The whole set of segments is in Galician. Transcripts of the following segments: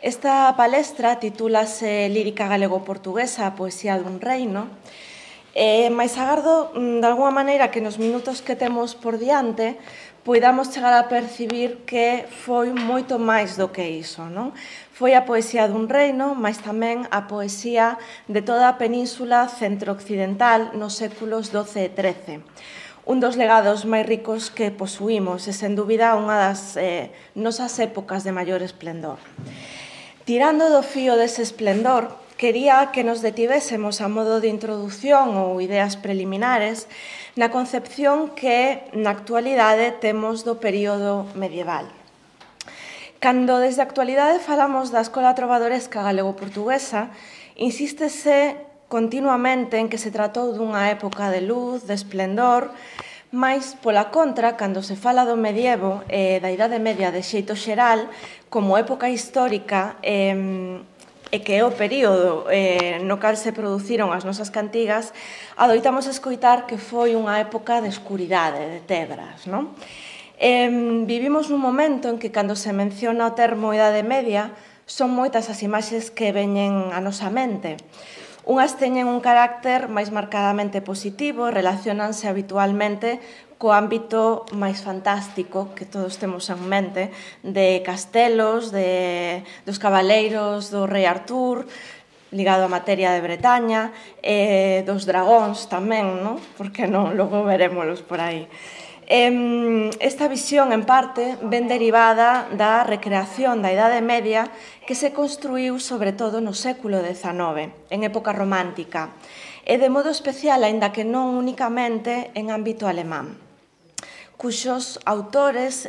Esta palestra titúlase Lírica galego-portuguesa, a poesía dun reino, mais agardo, de alguma maneira, que nos minutos que temos por diante poidamos chegar a percibir que foi moito máis do que iso, non? Foi a poesía dun reino, mas tamén a poesía de toda a península centro-occidental nos séculos XII e XIII. Un dos legados máis ricos que posuímos e, sen dúbida, unha das nosas épocas de maior esplendor. Tirando do fío dese esplendor, quería que nos detivésemos a modo de introdución ou ideas preliminares na concepción que na actualidade temos do período medieval. Cando desde a actualidade falamos da escola trovadoresca galego-portuguesa, insístese continuamente en que se tratou dunha época de luz, de esplendor, mais, pola contra, cando se fala do medievo e da Idade Media de xeito xeral, como época histórica e que é o período no cal se produciron as nosas cantigas, adoitamos escoitar que foi unha época de escuridade, de tebras, non? Vivimos nun momento en que, cando se menciona o termo Idade Media, son moitas as imaxes que veñen á nosa mente. Unhas teñen un carácter máis marcadamente positivo, relacionanse habitualmente co ámbito máis fantástico que todos temos en mente, de castelos, dos cabaleiros do rei Artur, ligado á materia de Bretaña, dos dragóns tamén, non? Por que non? Logo verémolos por aí. Esta visión, en parte, ven derivada da recreación da Idade Media que se construíu sobre todo no século XIX, en época romántica, e de modo especial, aínda que non únicamente, en ámbito alemán, cuxos autores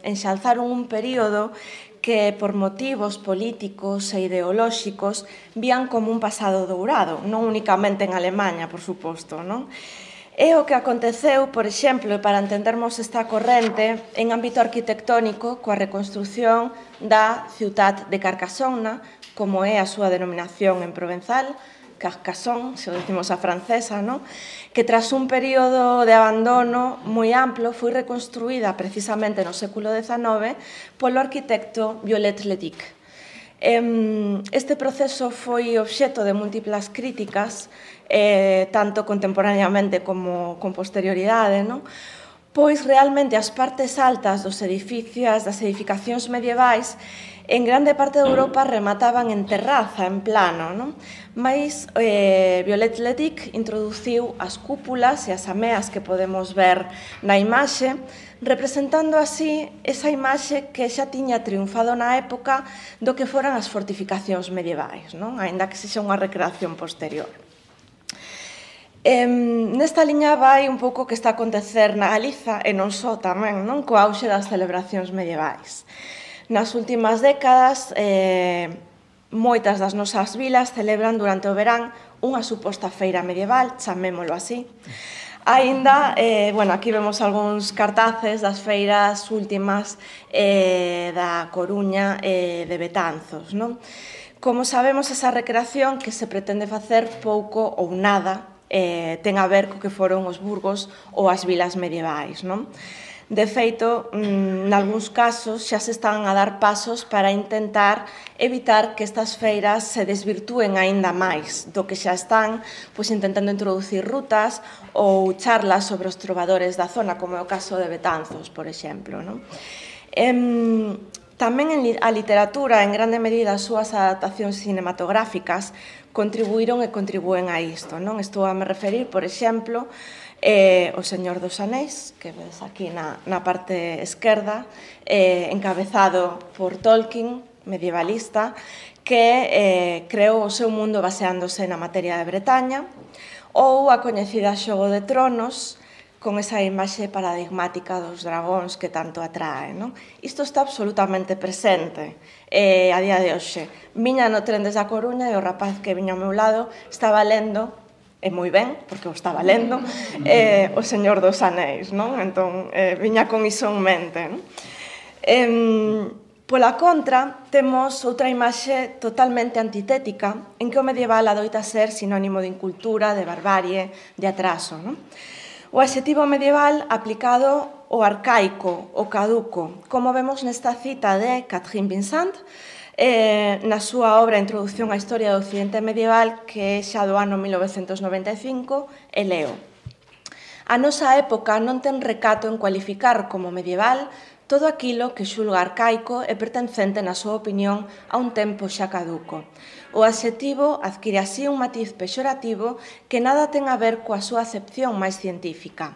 enxalzaron un período que, por motivos políticos e ideolóxicos, vían como un pasado dourado, non únicamente en Alemanha, por suposto, non? É o que aconteceu, por exemplo, para entendermos esta corrente, en ámbito arquitectónico, coa reconstrución da Ciutat de Carcassonne, como é a súa denominación en provenzal, Carcassonne, se o decimos a francesa, non? Que tras un período de abandono moi amplo foi reconstruída precisamente no século XIX polo arquitecto Viollet-le-Duc. Este proceso foi obxecto de múltiplas críticas, tanto contemporaneamente como con posterioridade, non? Pois realmente as partes altas dos edificios, das edificacións medievais, en grande parte de Europa remataban en terraza, en plano, non? Mais Viollet-le-Duc introduciu as cúpulas e as ameas que podemos ver na imaxe, representando así esa imaxe que xa tiña triunfado na época do que foran as fortificacións medievais, non? Aínda que sexa unha recreación posterior. Nesta liña vai un pouco o que está a acontecer na Galiza e non só tamén, non? Co auxe das celebracións medievais. Nas últimas décadas, moitas das nosas vilas celebran durante o verán unha suposta feira medieval, chamémolo así. Aínda, aquí vemos algúns cartaces das feiras últimas da Coruña e de Betanzos, non? Como sabemos, esa recreación que se pretende facer pouco ou nada ten a ver co que foron os burgos ou as vilas medievais, non? De feito, nalgúns casos xa se están a dar pasos para intentar evitar que estas feiras se desvirtúen aínda máis do que xa están, pois intentando introducir rutas ou charlas sobre os trovadores da zona, como é o caso de Betanzos, por exemplo, non? Tamén a literatura, en grande medida as súas adaptacións cinematográficas, contribuíron e contribúen a isto, non? Estou a me referir, por exemplo, O Señor dos Anéis, que ves aquí na parte esquerda, encabezado por Tolkien, medievalista, que creou o seu mundo baseándose na materia de Bretaña, ou a coñecida Xogo de Tronos, con esa imaxe paradigmática dos dragóns que tanto atrae, non? Isto está absolutamente presente a día de hoxe. Viña no tren desde a Coruña e o rapaz que viña ao meu lado estaba lendo, e moi ben, porque o estaba lendo, O Señor dos Anéis, non? Entón, viña con iso en mente, non? Pola contra, temos outra imaxe totalmente antitética, en que o medieval adoita ser sinónimo de incultura, de barbarie, de atraso, non? O adxetivo medieval aplicado ao arcaico, ao caduco, como vemos nesta cita de Catherine Vincent, na súa obra Introdución á Historia do Occidente Medieval, que é xa do ano 1995, e leo: a nosa época non ten recato en cualificar como medieval todo aquilo que xulga arcaico e pertencente, na súa opinión, a un tempo xa caduco. O adxetivo adquire así un matiz pexorativo que nada ten a ver coa súa acepción máis científica.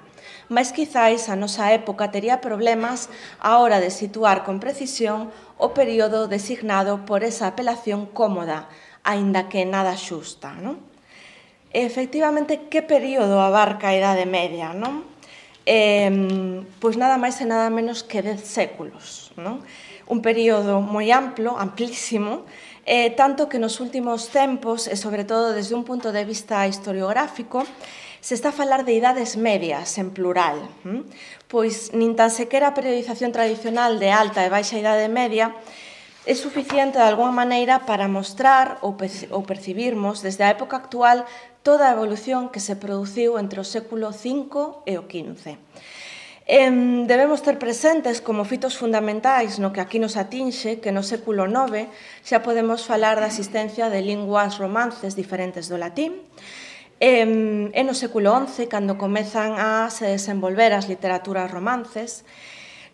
Mais quizáis a nosa época tería problemas á hora de situar con precisión o período designado por esa apelación cómoda, aínda que nada xusta, non? Efectivamente, que período abarca a Idade Media, non? Pois nada máis e nada menos que 10 séculos, non? Un período moi amplo, amplísimo, tanto que nos últimos tempos, e sobre todo desde un punto de vista historiográfico, se está a falar de idades medias, en plural, pois nin tan sequera a periodización tradicional de alta e baixa idade media é suficiente de alguma maneira para mostrar ou percibirmos desde a época actual toda a evolución que se produciu entre o século V e o XV. Debemos ter presentes como fitos fundamentais no que aquí nos atinxe que no século IX xa podemos falar da existencia de linguas romances diferentes do latín, e no século XI, cando comezan a se desenvolver as literaturas romances.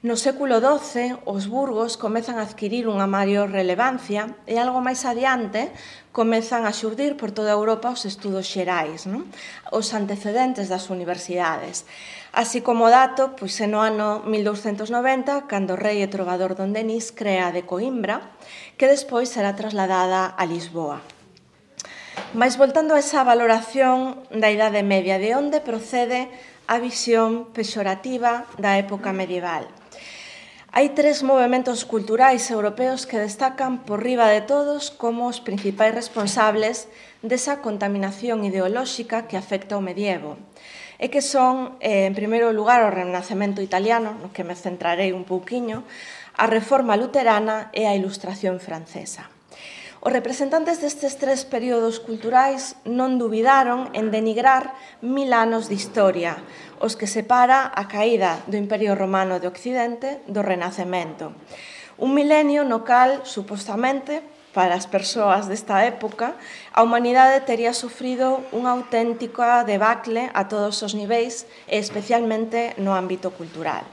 No século XII, os burgos comezan a adquirir unha maior relevancia e algo máis adiante comezan a xurdir por toda Europa os estudos xerais, non? Os antecedentes das universidades. Así como dato, pois é no ano 1290, cando o rei e trovador Don Denis crea a de Coimbra, que despois será trasladada a Lisboa. Mais voltando a esa valoración da Idade Media, de onde procede a visión pexorativa da época medieval? Hai 3 movementos culturais europeos que destacan por riba de todos como os principais responsables desa contaminación ideolóxica que afecta o medievo, e que son, en primeiro lugar, o Renacemento italiano, no que me centrarei un pouquiño, a Reforma luterana e a Ilustración francesa. Os representantes destes 3 períodos culturais non dubidaron en denigrar 1000 anos de historia, os que separa a caída do Imperio Romano de Occidente do Renacemento. Un milenio no cal, supostamente, para as persoas desta época, a humanidade tería sufrido unha auténtica debacle a todos os niveis e especialmente no ámbito cultural.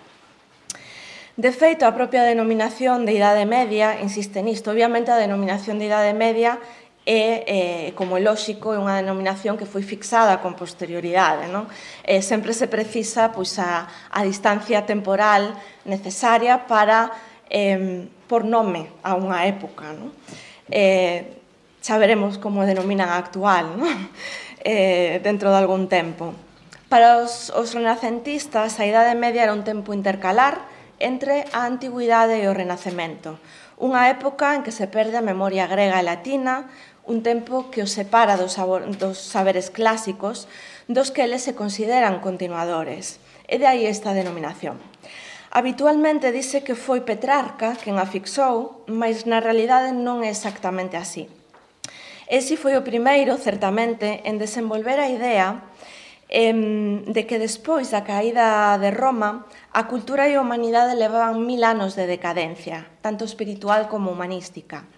De feito, a propia denominación de Idade Media insiste nisto. Obviamente, a denominación de Idade Media é, como é lóxico, é unha denominación que foi fixada con posterioridade, non? Sempre se precisa pois, a distancia temporal necesaria para por nome a unha época, non? Xa veremos como denominan a actual, non? Dentro de algún tempo. Para os renacentistas, a Idade Media era un tempo intercalar entre a Antigüidade e o Renacemento, unha época en que se perde a memoria grega e latina, un tempo que os separa dos saberes clásicos, dos que eles se consideran continuadores, e de aí esta denominación. Habitualmente dice que foi Petrarca quen a fixou, mas na realidade non é exactamente así. Ese foi o primeiro, certamente, en desenvolver a idea de que despois da caída de Roma, a cultura e a humanidade levaban 1000 anos de decadencia, tanto espiritual como humanística.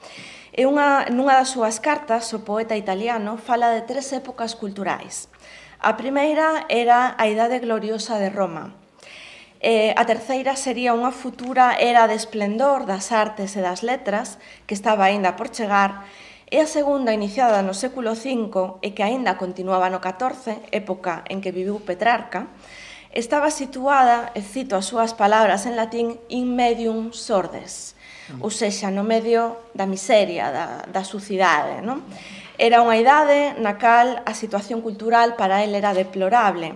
E nunha das súas cartas, o poeta italiano fala de 3 épocas culturais. A primeira era a Idade Gloriosa de Roma. A terceira sería unha futura era de esplendor das artes e das letras, que estaba aínda por chegar, e a segunda, iniciada no século V e que aínda continuaba no XIV, época en que viviu Petrarca, estaba situada, e cito as súas palabras en latín, in medium sordes, ou sexa, no medio da miseria, da sucidade, non? Era unha idade na cal a situación cultural para el era deplorable.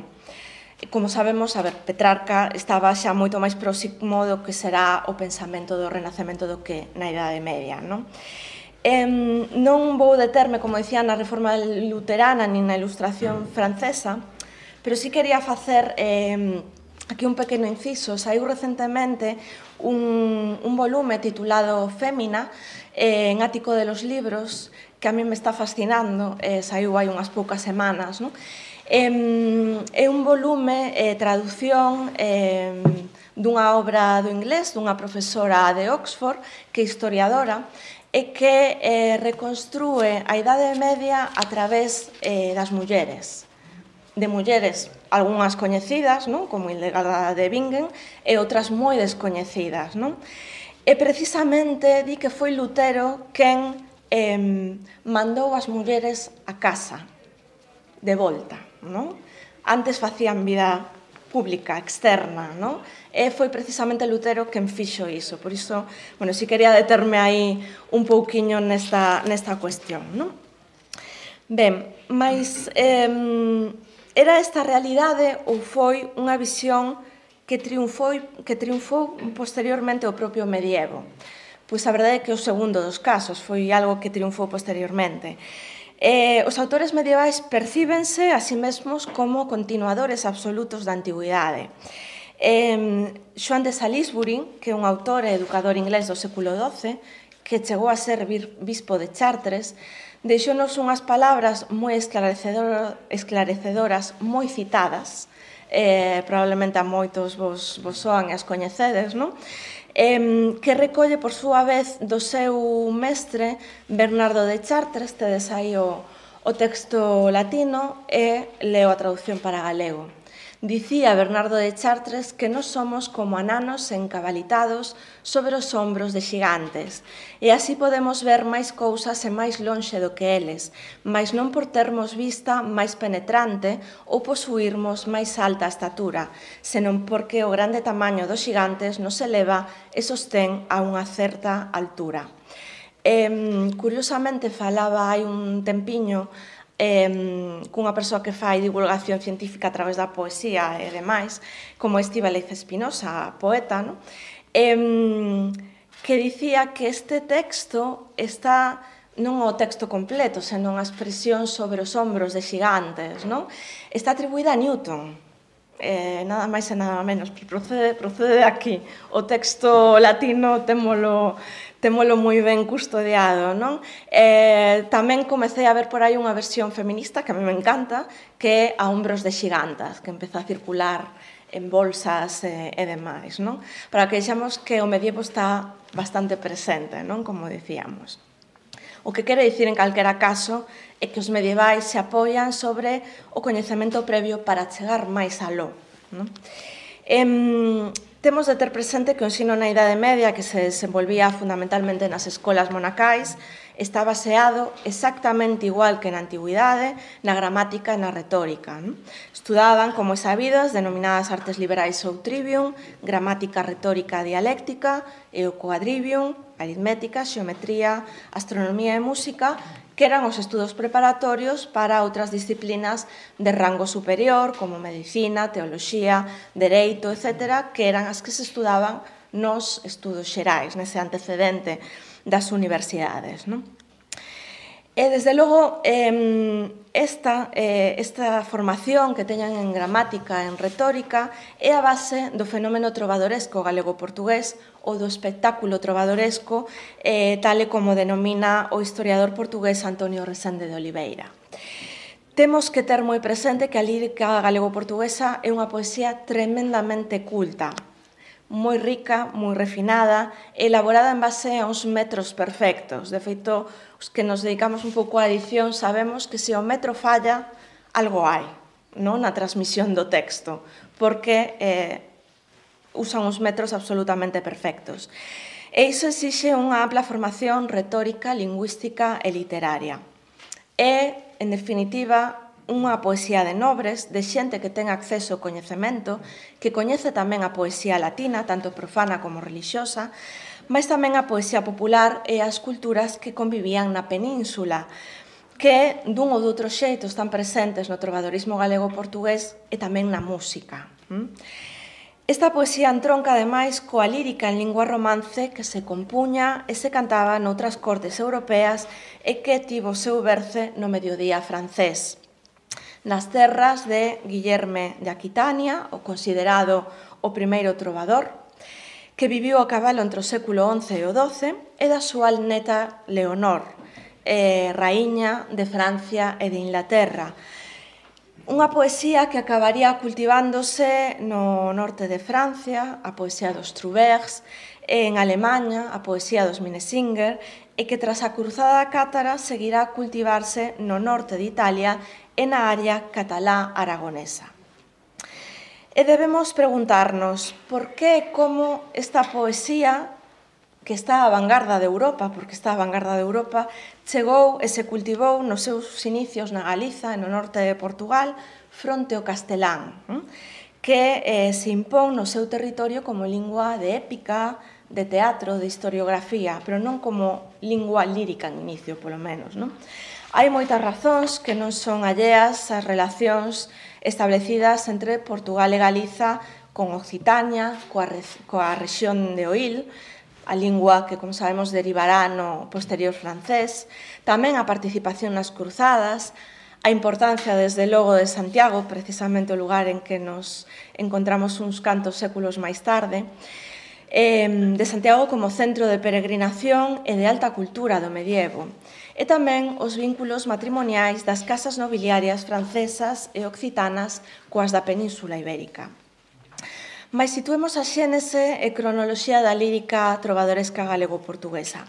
Como sabemos, Petrarca estaba xa moito máis próximo do que será o pensamento do Renacemento do que na Idade Media, non? Non vou determe, como dicía, na Reforma luterana nin na Ilustración francesa, pero sí quería facer aquí un pequeno inciso. Saiu recentemente un volume titulado Fémina, en Ático de los Libros, que a mí me está fascinando, saiu hai unhas poucas semanas, non? É un volume, traducción dunha obra do inglés, dunha profesora de Oxford, que é historiadora, e que reconstrúe a Idade Media a través das mulleres. De mulleres, algunhas coñecidas, non? Como Hildegarda de Bingen, e outras moi descoñecidas. Non? E precisamente di que foi Lutero quen mandou as mulleres a casa, de volta. Non? Antes facían vida pública, externa, non? E foi precisamente Lutero quen fixo iso. Por iso, bueno, si quería determe aí un pouquiño nesta cuestión, non? Ben, mas era esta realidade ou foi unha visión que triunfou posteriormente o propio medievo? Pois a verdade é que o segundo dos casos foi algo que triunfou posteriormente. Os autores medievais percíbense a sí mesmos como continuadores absolutos da antigüidade. Xoan de Salisbury, que é un autor e educador inglés do século XII, que chegou a ser bispo de Chartres, deixounos unhas palabras moi esclarecedoras, moi citadas, probablemente a moitos vos soan e as coñecedes, non? Que recolle, por súa vez, do seu mestre Bernardo de Chartres, tedes aí o texto latino, e leo a traducción para galego. Dicía Bernardo de Chartres que nós somos como ananos encabalitados sobre os ombros de xigantes, e así podemos ver máis cousas e máis lonxe do que eles, mas non por termos vista máis penetrante ou posuirmos máis alta estatura, senón porque o grande tamaño dos xigantes nos eleva e sostén a unha certa altura. Curiosamente, falaba hai un tempiño cunha persoa que fai divulgación científica a través da poesía e demais, como Estíbaliz Espinosa, poeta, no? Que dicía que este texto está non o texto completo, senón a expresión sobre os ombros de xigantes, non? Está atribuída a Newton, nada máis e nada menos, procede de aquí. O texto latino témolo moi ben custodiado, non? Tamén comecei a ver por aí unha versión feminista que a mí me encanta, que é A ombros de xigantas, que empeza a circular en bolsas e demais, non? Para que vexamos que o medievo está bastante presente, non? Como dicíamos. O que quere dicir, en calquera caso, é que os medievais se apoian sobre o coñecemento previo para chegar máis aló. Temos de ter presente que o ensino na Idade Media, que se desenvolvía fundamentalmente nas escolas monacais, está baseado exactamente igual que na antigüidade, na gramática e na retórica. Estudaban, como é sabido, as denominadas artes liberais ou trivium, gramática, retórica, dialéctica, e o quadrivium, aritmética, xeometría, astronomía e música, que eran os estudos preparatorios para outras disciplinas de rango superior, como medicina, teoloxía, dereito, etc., que eran as que se estudaban nos estudos xerais, nese antecedente das universidades. E, desde logo, esta formación que teñan en gramática e en retórica é a base do fenómeno trovadoresco galego-portugués ou do espectáculo trovadoresco, tal e como denomina o historiador portugués Antonio Resende de Oliveira. Temos que ter moi presente que a lírica galego-portuguesa é unha poesía tremendamente culta, moi rica, moi refinada, elaborada en base a uns metros perfectos. De feito, os que nos dedicamos un pouco á edición sabemos que se o metro falla, algo hai, non? Na transmisión do texto, porque usan uns metros absolutamente perfectos. E iso exixe unha ampla formación retórica, lingüística e literaria. É, en definitiva, unha poesía de nobres, de xente que ten acceso ao coñecemento, que coñece tamén a poesía latina, tanto profana como relixiosa, mas tamén a poesía popular e as culturas que convivían na península, que dun ou doutro xeito están presentes no trovadorismo galego-portugués e tamén na música. Esta poesía entronca, ademais, coa lírica en lingua romance que se compuña e se cantaba noutras cortes europeas e que tivo o seu berce no mediodía francés. Nas terras de Guillerme de Aquitania, o considerado o primeiro trovador, que viviu a cabalo entre o século XI e o XII, e da súa neta Leonor, raíña de Francia e de Inglaterra. Unha poesía que acabaría cultivándose no norte de Francia, a poesía dos Trouvers, en Alemanha, a poesía dos Minnesänger, e que tras a cruzada cátara seguirá a cultivarse no norte de Italia e na área catalá-aragonesa. E debemos preguntarnos por que e como esta poesía, que está á vanguarda de Europa, porque está á vanguarda de Europa, chegou e se cultivou nos seus inicios na Galiza e no norte de Portugal fronte ao castelán, que se impón no seu territorio como lingua de épica, de teatro, de historiografía, pero non como lingua lírica en inicio, polo menos. Hai moitas razóns que non son alleas ás relacións establecidas entre Portugal e Galiza con Occitania, coa rexión de Oil, a lingua que, como sabemos, derivará no posterior francés, tamén a participación nas cruzadas, a importancia, desde logo, de Santiago, precisamente o lugar en que nos encontramos uns cantos séculos máis tarde, de Santiago como centro de peregrinación e de alta cultura do medievo, e tamén os vínculos matrimoniais das casas nobiliarias francesas e occitanas coas da Península Ibérica. Mais situemos a xénese e cronoloxía da lírica trovadoresca galego-portuguesa.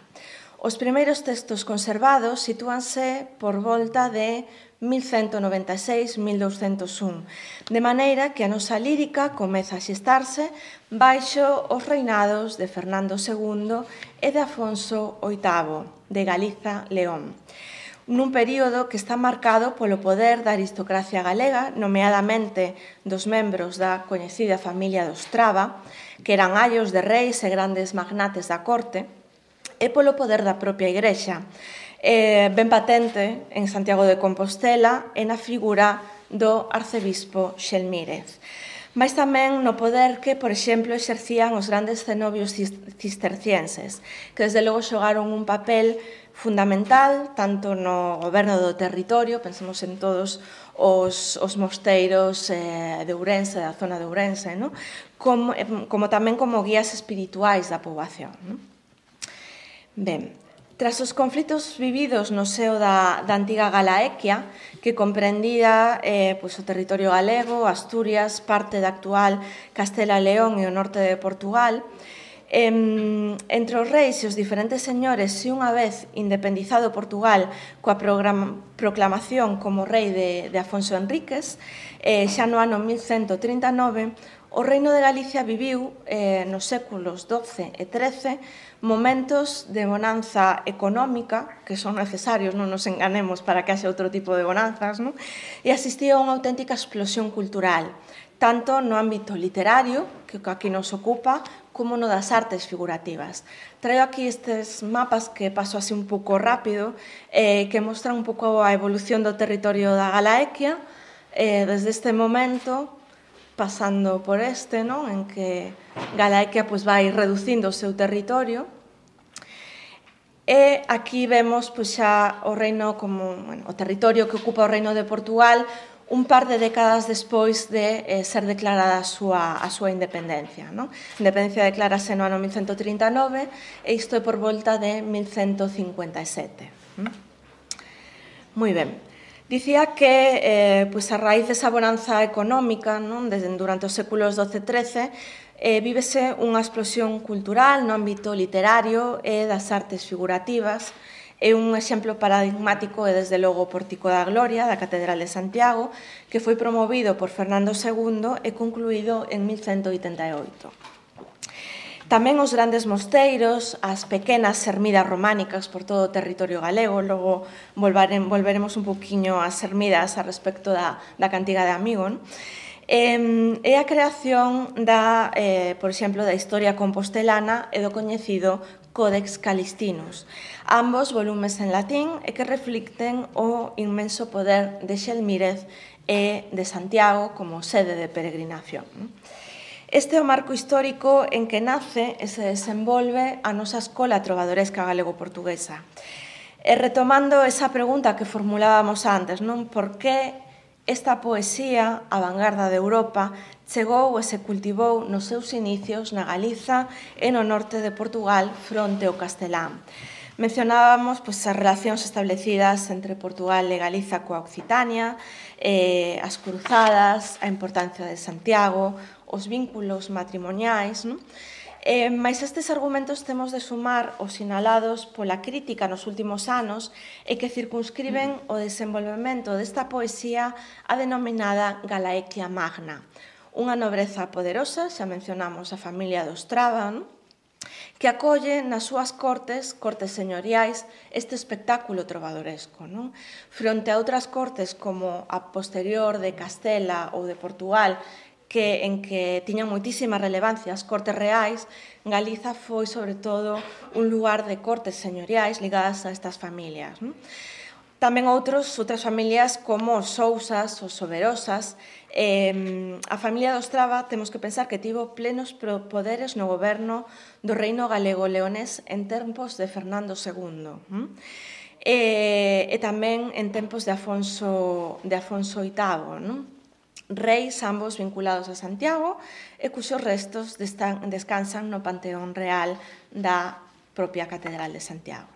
Os primeiros textos conservados sitúanse por volta de 1196-1201, de maneira que a nosa lírica comeza a xestarse baixo os reinados de Fernando II e de Afonso VIII, de Galiza-León, nun período que está marcado polo poder da aristocracia galega, nomeadamente dos membros da coñecida familia dos Traba, que eran aios de reis e grandes magnates da corte, e polo poder da propia Igrexa, ben patente en Santiago de Compostela e na figura do arcebispo Xelmírez, mas tamén no poder que, por exemplo, exercían os grandes cenobios cistercienses, que desde logo xogaron un papel fundamental tanto no goberno do territorio, pensemos en todos os mosteiros de Ourense, da zona de Ourense, como tamén como guías espirituais da poboación. Ben, tras os conflitos vividos no seo da antiga Galaequia, que comprendía o territorio galego, Asturias, parte da actual Castela e León e o norte de Portugal, entre os reis e os diferentes señores, e unha vez independizado Portugal coa proclamación como rei de Afonso Enríquez, xa no ano 1139, o Reino de Galicia viviu nos séculos XII e XIII momentos de bonanza económica, que son necesarios, non nos enganemos, para que haxe outro tipo de bonanzas, e asistía a unha auténtica explosión cultural, tanto no ámbito literario, que aquí nos ocupa, como no das artes figurativas. Traio aquí estes mapas que paso así un pouco rápido, que mostran un pouco a evolución do territorio da Galaequia, desde este momento, pasando por este, en que Galaequia vai reducindo o seu territorio. E aquí vemos xa o reino como o territorio que ocupa o Reino de Portugal un par de décadas despois de ser declarada a súa independencia. A independencia declarase no ano 1139 e isto é por volta de 1157. Moi ben. Dicía que a raíz desa bonanza económica durante os séculos XII e XIII vívese unha explosión cultural no ámbito literario e das artes figurativas. É un exemplo paradigmático e, desde logo, o Pórtico da Gloria da Catedral de Santiago, que foi promovido por Fernando II e concluído en 1188. Tamén os grandes mosteiros, as pequenas ermidas románicas por todo o territorio galego, logo volveremos un poquinho ás ermidas a respecto da cantiga de Amigo, e a creación por exemplo, da historia compostelana e do coñecido Codex Calistinus, ambos volumes en latín e que reflicten o inmenso poder de Xelmírez e de Santiago como sede de peregrinación. Este é o marco histórico en que nace e se desenvolve a nosa escola trovadoresca galego-portuguesa. E retomando esa pregunta que formulábamos antes, por que esta poesía, a vanguarda de Europa, chegou e se cultivou nos seus inicios na Galiza e no norte de Portugal fronte ao castelán. Mencionábamos as relacións establecidas entre Portugal e Galiza coa Occitania, as cruzadas, a importancia de Santiago, os vínculos matrimoniais, Mais estes argumentos temos de sumar os sinalados pola crítica nos últimos anos e que circunscriben o desenvolvemento desta poesía a denominada Galaequia Magna, unha nobreza poderosa, xa mencionamos a familia dos Traba, que acolle nas súas cortes señoriais, este espectáculo trovadoresco. Fronte a outras cortes como a posterior de Castela ou de Portugal, en que tiñan moitísima relevancia as cortes reais, Galiza foi, sobre todo, un lugar de cortes señoriais ligadas a estas familias. Tamén outras familias como os Sousas, os Soberosas. A familia dos Traba temos que pensar que tivo plenos poderes no goberno do reino galego-leonés en tempos de Fernando II. E tamén en tempos de Afonso VIII, reis ambos vinculados a Santiago e cuxos restos descansan no Panteón Real da propia Catedral de Santiago.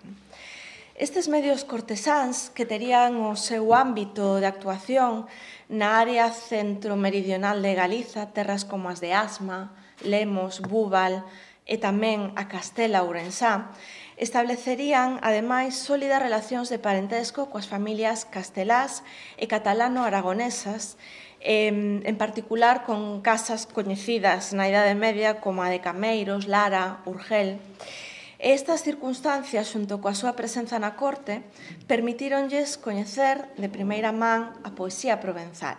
Estes medios cortesáns que terían o seu ámbito de actuación na área centro-meridional de Galiza, terras como as de Asma, Lemos, Búbal e tamén a Castela Ourensá, establecerían, ademais, sólidas relacións de parentesco coas familias castelás e catalano-aragonesas, en particular con casas coñecidas na Idade Media como a de Cameiros, Lara, Urgel. Estas circunstancias, xunto coa súa presenza na corte, permitíronlles coñecer de primeira man a poesía provenzal,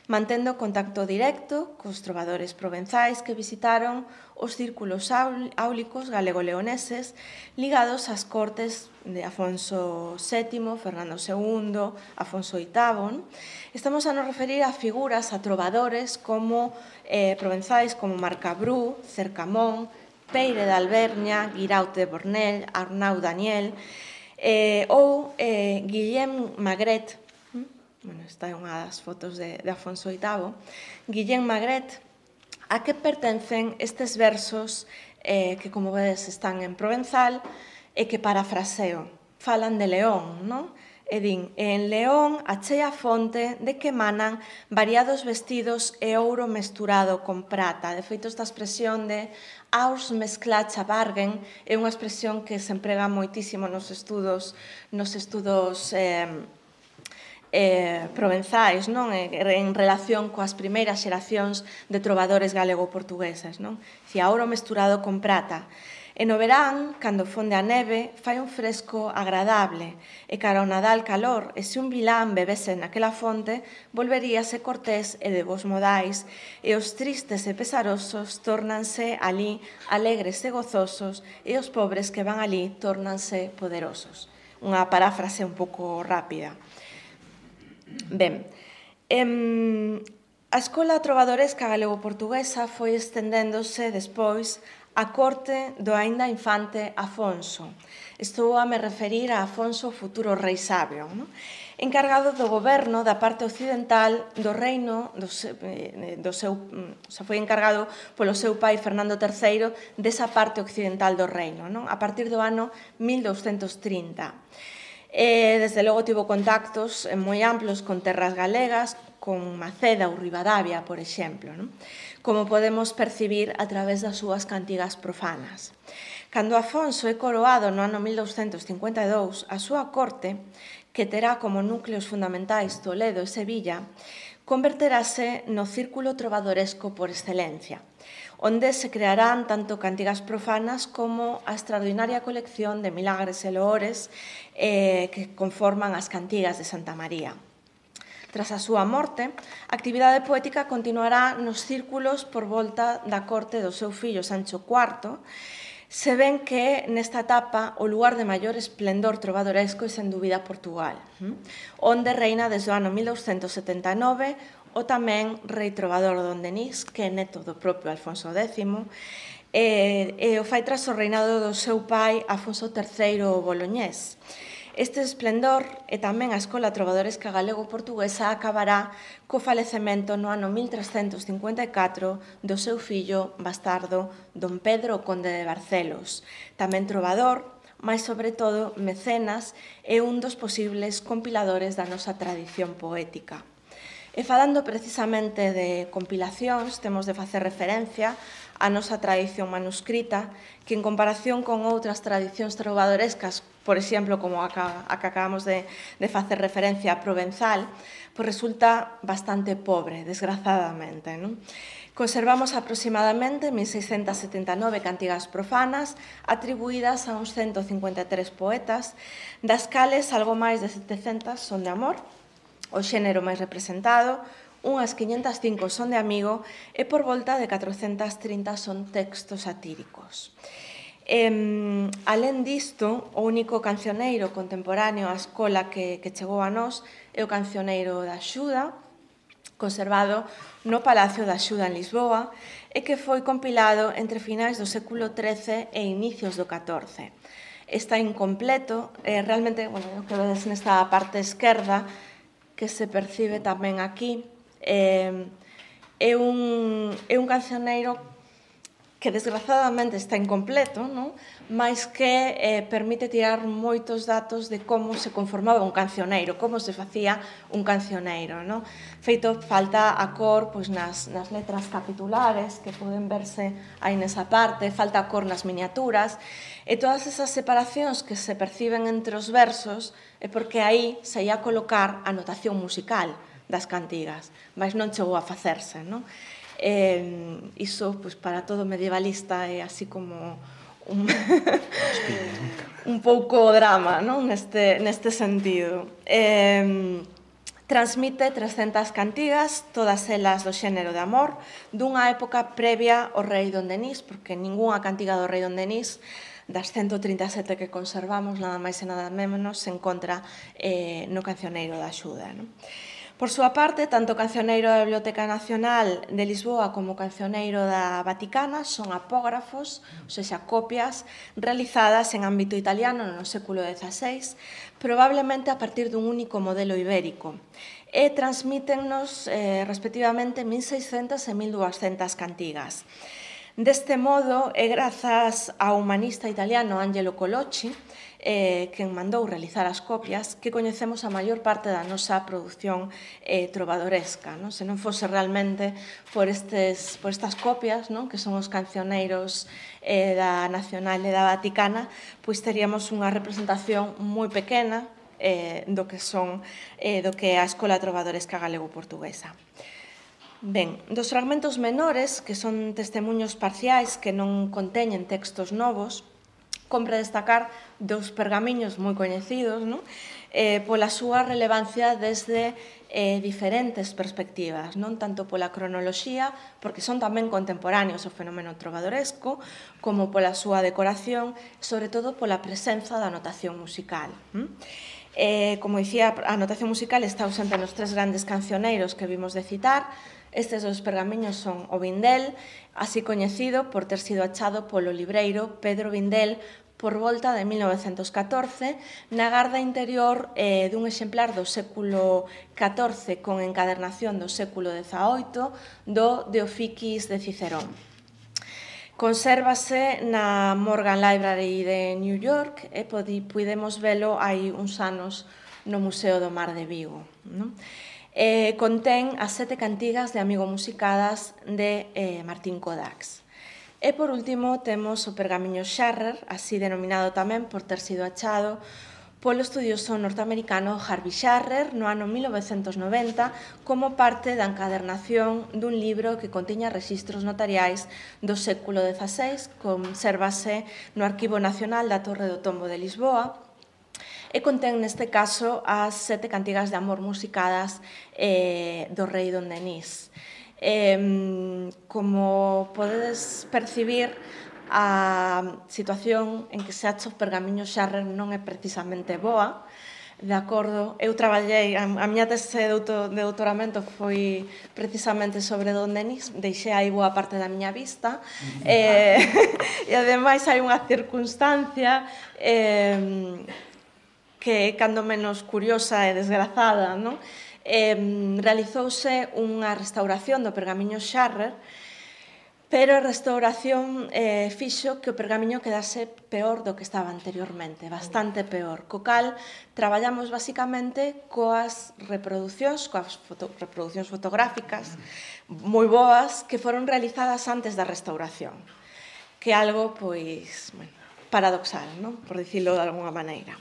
mantendo contacto directo cos trovadores provenzais que visitaron os círculos áulicos galego-leoneses ligados ás cortes de Afonso VII, Fernando II, Afonso VIII. Estamos a nos referir a figuras, a trovadores provenzais como Marcabrú, Cercamón, Peire de Alberña, Guiraut de Bornel, Arnau Daniel ou Guillem Magret. Esta é unha das fotos de Afonso VIII. Guillem Magret, a que pertencen estes versos que, como vedes, están en provenzal e que parafraseo. Falan de León, non? E din, en León achei a fonte de que emanan variados vestidos e ouro mesturado con prata. De feito, esta expresión de aurs mesclacha bargen é unha expresión que se emprega moitísimo nos estudos provenzais, en relación coas primeiras xeracións de trovadores galego-portuguesas. Si a ouro mesturado con prata. E no verán, cando fonde a neve, fai un fresco agradable, e cara ao Nadal calor, e se un vilán bebese naquela fonte, volveríase cortés e de bons modais, e os tristes e pesarosos tórnanse ali alegres e gozosos, e os pobres que van ali tórnanse poderosos. Unha paráfrase un pouco rápida. Ben, a escola trovadoresca galego-portuguesa foi estendéndose despois a corte do aínda infante Afonso. Estou a me referir a Afonso, futuro rei sabio, encargado do goberno da parte occidental do reino, foi encargado polo seu pai Fernando III desa parte occidental do reino, a partir do ano 1230. Desde logo tivo contactos moi amplos con terras galegas, con Maceda ou Ribadavia, por exemplo, como podemos percibir a través das súas cantigas profanas. Cando Afonso é coroado no ano 1252, a súa corte, que terá como núcleos fundamentais Toledo e Sevilla, converterase no círculo trovadoresco por excelencia, onde se crearán tanto cantigas profanas como a extraordinaria colección de milagres e loores que conforman as cantigas de Santa María. Tras a súa morte, a actividade poética continuará nos círculos por volta da corte do seu fillo Sancho IV, se ven que nesta etapa o lugar de maior esplendor trovadoresco é sen dúbida Portugal, onde reina desde o ano 1279 o tamén rei trovador Don Denis, que é neto do propio Alfonso X, e o fai tras o reinado do seu pai Afonso III o Boloñés. Este esplendor e tamén a escola trovadoresca galego-portuguesa acabará co falecemento no ano 1354 do seu fillo bastardo Don Pedro o Conde de Barcelos, tamén trovador, mas sobre todo mecenas e un dos posibles compiladores da nosa tradición poética. E falando precisamente de compilacións, temos de facer referencia a nosa tradición manuscrita, que en comparación con outras tradicións trovadorescas, por exemplo, como a que acabamos de facer referencia a provenzal, pois resulta bastante pobre, desgrazadamente, non? Conservamos aproximadamente 1679 cantigas profanas atribuídas a uns 153 poetas, das cales algo máis de 700 son de amor, o xénero máis representado, unhas 505 son de amigo e por volta de 430 son textos satíricos. Alén disto, o único cancioneiro contemporáneo á escola que chegou a nós é o cancioneiro da Axuda, conservado no Palacio da Axuda en Lisboa e que foi compilado entre finais do século XIII e inicios do XIV. Está incompleto, realmente, o que vedes nesta parte esquerda, que se percibe tamén aquí, é un cancioneiro que desgrazadamente está incompleto, non? Mas que permite tirar moitos datos de como se conformaba un cancioneiro, como se facía un cancioneiro, non? Feito falta a cor pois, nas letras capitulares, que poden verse aí nesa parte, falta a cor nas miniaturas, e todas esas separacións que se perciben entre os versos é porque aí se ia colocar a notación musical das cantigas, mas non chegou a facerse, non? Iso, pois, para todo medievalista é así como un pouco drama, non? Neste sentido. Transmite 300 cantigas, todas elas do xénero de amor, dunha época previa ao rei Don Denis, porque ningunha cantiga do rei Don Denis das 137 que conservamos, nada máis e nada menos, se encontra no cancioneiro da Axuda, non? Por súa parte, tanto o cancioneiro da Biblioteca Nacional de Lisboa como o cancioneiro da Vaticana son apógrafos, ou seja, copias realizadas en ámbito italiano no século XVI, probablemente a partir dun único modelo ibérico, e transmítennos respectivamente 1.600 e 1.200 cantigas. Deste modo, é grazas ao humanista italiano Angelo Colocci, quen mandou realizar as copias, que coñecemos a maior parte da nosa produción trovadoresca. Se non fose realmente por estas copias, que son os cancioneiros da Nacional e da Vaticana, pois teríamos unha representación moi pequena do que é a Escola Trovadoresca Galego-Portuguesa. Ben, dos fragmentos menores, que son testemunhos parciais que non conteñen textos novos, compre destacar dous pergamiños moi coñecidos, pola súa relevancia desde diferentes perspectivas, non tanto pola cronoloxía, porque son tamén contemporáneos ao fenómeno trovadoresco, como pola súa decoración, sobre todo pola presenza da notación musical. Como dicía, a notación musical está ausente nos tres grandes cancioneiros que vimos de citar. Estes dos pergamiños son o Vindel, así coñecido por ter sido achado polo libreiro Pedro Vindel por volta de 1914 na garda interior dun exemplar do século XIV con encadernación do século XVIII do De Officis de Cicerón. Consérvase na Morgan Library de New York e podemos velo hai uns anos no Museo do Mar de Vigo. Contén as 7 cantigas de Amigo musicadas de Martín Codax. E, por último, temos o pergamiño Sharrer, así denominado tamén por ter sido achado polo estudioso norteamericano Harvey Sharrer no ano 1990 como parte da encadernación dun libro que contiña rexistros notariais do século XVI, consérvase no Arquivo Nacional da Torre do Tombo de Lisboa, e contén neste caso as 7 cantigas de amor musicadas do rei Don Denis. Como podedes percibir, a situación en que se acha o pergamiño Sharrer non é precisamente boa, de acordo? Eu traballei, a miña tese de doutoramento foi precisamente sobre Don Denis, deixei aí boa parte da miña vista, e ademais hai unha circunstancia que é cando menos curiosa e desgrazada, non? Realizouse unha restauración do pergamiño Sharrer pero a restauración fixo que o pergamiño quedase peor do que estaba anteriormente, bastante peor. Co cal, traballamos basicamente coas reproduccións fotográficas moi boas que foron realizadas antes da restauración, que é algo, pois, bueno, paradoxal, non? Por dicilo de alguna maneira.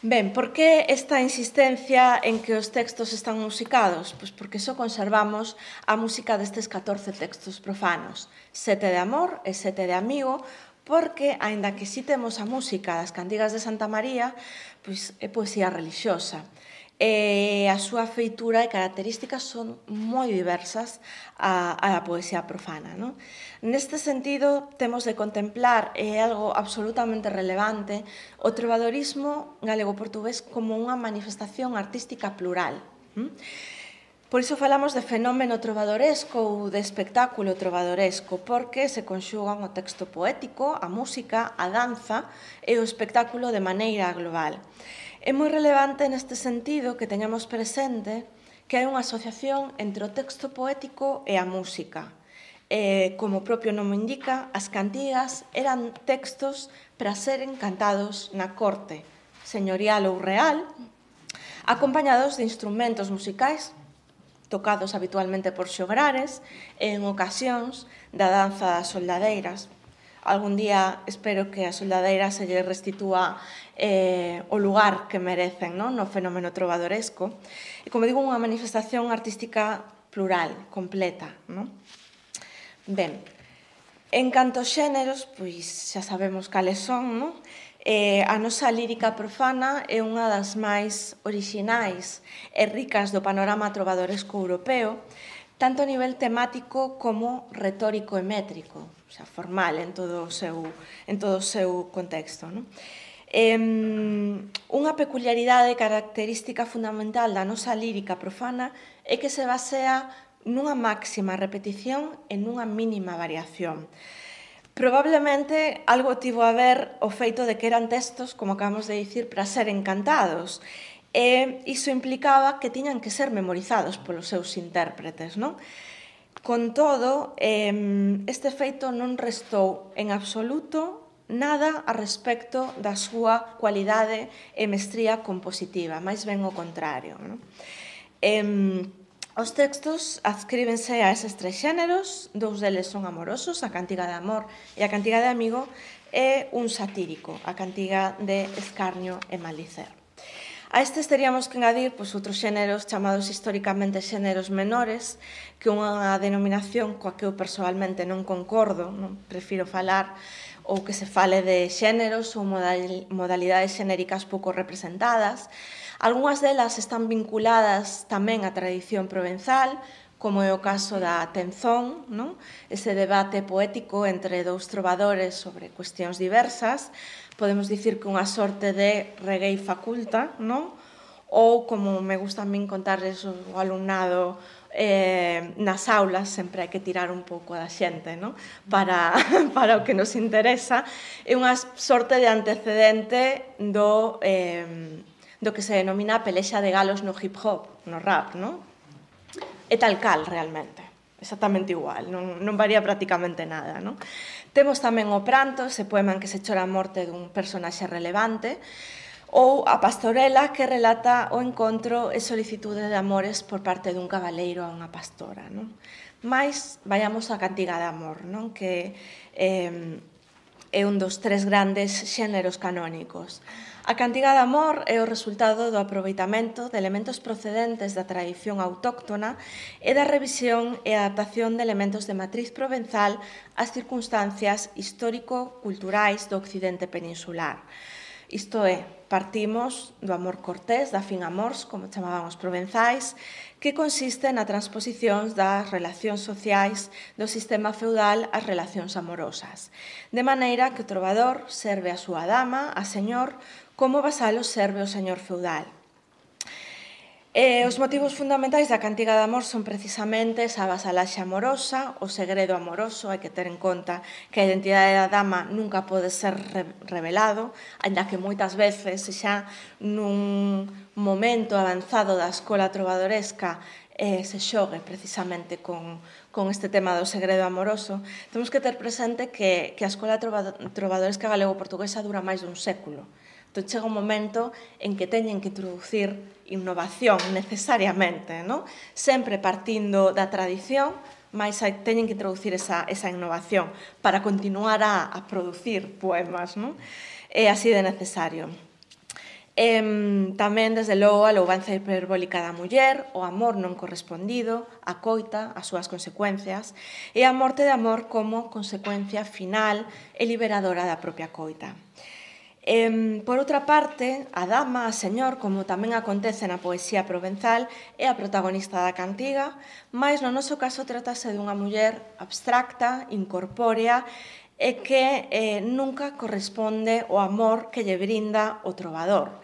Ben, por que esta insistencia en que os textos están musicados? Pois porque só conservamos a música destes 14 textos profanos, 7 de amor e 7 de amigo, porque, aínda que si temos a música das cantigas de Santa María, pois é poesía relixiosa. E a súa feitura e características son moi diversas á poesía profana, non? Neste sentido, temos de contemplar, é algo absolutamente relevante, o trovadorismo galego-portugués como unha manifestación artística plural. Por iso falamos de fenómeno trovadoresco ou de espectáculo trovadoresco, porque se conxugan o texto poético, a música, a danza e o espectáculo de maneira global. É moi relevante neste sentido que teñamos presente que hai unha asociación entre o texto poético e a música. Como o propio nome indica, as cantigas eran textos para seren cantados na corte señorial ou real, acompañados de instrumentos musicais tocados habitualmente por xograres e en ocasións da danza das soldadeiras. Algún día espero que a soldadeira se lle restitúa o lugar que merecen, non? No fenómeno trovadoresco. E, como digo, unha manifestación artística plural, completa, non? Ben, en canto aos xéneros, pois xa sabemos cales son, non? A nosa lírica profana é unha das máis orixinais e ricas do panorama trovadoresco europeo, tanto a nivel temático como retórico e métrico, o sea, formal en todo o seu contexto, non? Unha peculiaridade característica fundamental da nosa lírica profana é que se basea nunha máxima repetición e nunha mínima variación. Probablemente algo tivo a ver o feito de que eran textos, como acabamos de dicir, para ser encantados. E iso implicaba que tiñan que ser memorizados polos seus intérpretes, non? Con todo, este feito non restou en absoluto nada a respecto da súa cualidade e mestría compositiva, máis ben o contrario, non? Os textos adscríbense a eses tres xéneros, dous deles son amorosos, a cantiga de amor e a cantiga de amigo, e un satírico, a cantiga de escarnio e malicer. A estes teríamos que engadir outros xéneros chamados históricamente xéneros menores, que é unha denominación coa que eu persoalmente non concordo, non prefiro falar ou que se fale de xéneros ou modalidades xenéricas pouco representadas. Algúnas delas están vinculadas tamén á tradición provenzal, como é o caso da tenzón, non? Ese debate poético entre dous trovadores sobre cuestións diversas. Podemos dicir que unha sorte de reggae faculta, non? Ou, como me gusta a min contarles o alumnado nas aulas, sempre hai que tirar un pouco da xente, non? Para o que nos interesa. É unha sorte de antecedente do que se denomina a pelexa de galos no hip hop, no rap, non? É tal cal, realmente. Exactamente igual, non varía prácticamente nada, non? Temos tamén o pranto, ese poema en que se chora a morte dun personaxe relevante, ou a pastorela, que relata o encontro e solicitude de amores por parte dun cabaleiro a unha pastora, non? Mais, vayamos á cantiga de amor, non? Que é un dos tres grandes xéneros canónicos. A cantiga de amor é o resultado do aproveitamento de elementos procedentes da tradición autóctona e da revisión e adaptación de elementos de matriz provenzal ás circunstancias histórico-culturais do occidente peninsular. Isto é, partimos do amor cortés, da fin amors, como chamaban os provenzais, que consiste na transposición das relacións sociais do sistema feudal ás relacións amorosas, de maneira que o trovador serve a súa dama, a señor, como o vasalo serve o señor feudal. Os motivos fundamentais da cantiga de amor son precisamente esa vasalaxe amorosa, o segredo amoroso. Hai que ter en conta que a identidade da dama nunca pode ser revelado, ainda que moitas veces xa nun momento avanzado da escola trovadoresca se xogue precisamente con este tema do segredo amoroso, temos que ter presente que a Escola Trovadoresca Galego-Portuguesa dura máis dun século. Entón, chega un momento en que teñen que introducir innovación necesariamente, non? Sempre partindo da tradición, mas teñen que introducir esa innovación para continuar a producir poemas, non? É así de necesario. Tamén, desde logo, a louvanza hiperbólica da muller, o amor non correspondido, a coita, as súas consecuencias, e a morte de amor como consecuencia final e liberadora da propia coita. Por outra parte, a dama, a señor, como tamén acontece na poesía provenzal, é a protagonista da cantiga, mas no noso caso trátase dunha muller abstracta, incorpórea, e que nunca corresponde ao amor que lle brinda o trovador.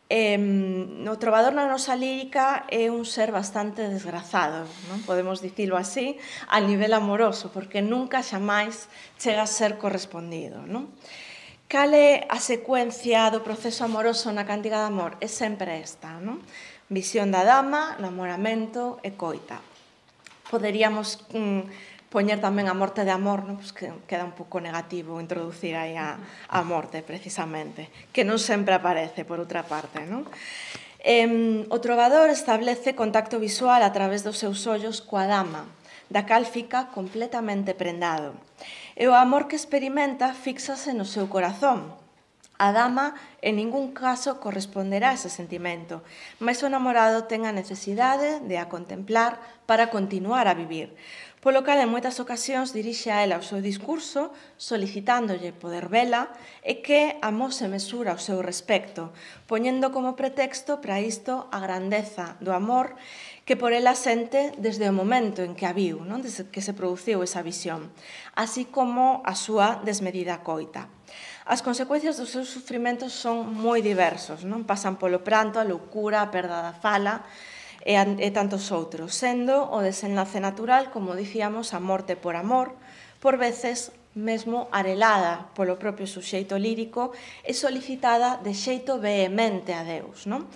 O trovador na nosa lírica é un ser bastante desgrazado, non? Podemos dicilo así, a nivel amoroso, porque nunca xamais chega a ser correspondido, non? Cal é a secuencia do proceso amoroso na cantiga de amor? É sempre esta, non? Visión da dama, namoramento e coita. Poderíamos poñer tamén a morte de amor, non? Pues que queda un pouco negativo introducir aí a morte, precisamente, que non sempre aparece, por outra parte, non? O trovador establece contacto visual a través dos seus ollos coa dama, da cal fica completamente prendado. E o amor que experimenta fíxase no seu corazón. A dama en ningún caso corresponderá a ese sentimento, mas o namorado ten a necesidade de a contemplar para continuar a vivir, polo cal en moitas ocasións dirixe a ela o seu discurso solicitándolle poder vela e que amose mesura ao seu respecto, poñendo como pretexto para isto a grandeza do amor que por ela sente desde o momento en que a viu, non? Desde que se produciu esa visión, así como a súa desmedida coita. As consecuencias dos seus sufrimentos son moi diversos, non? Pasan polo pranto, a loucura, a perda da fala e tantos outros, sendo o desenlace natural, como dicíamos, a morte por amor, por veces mesmo arelada polo propio suxeito lírico e solicitada de xeito vehemente a Deus, non?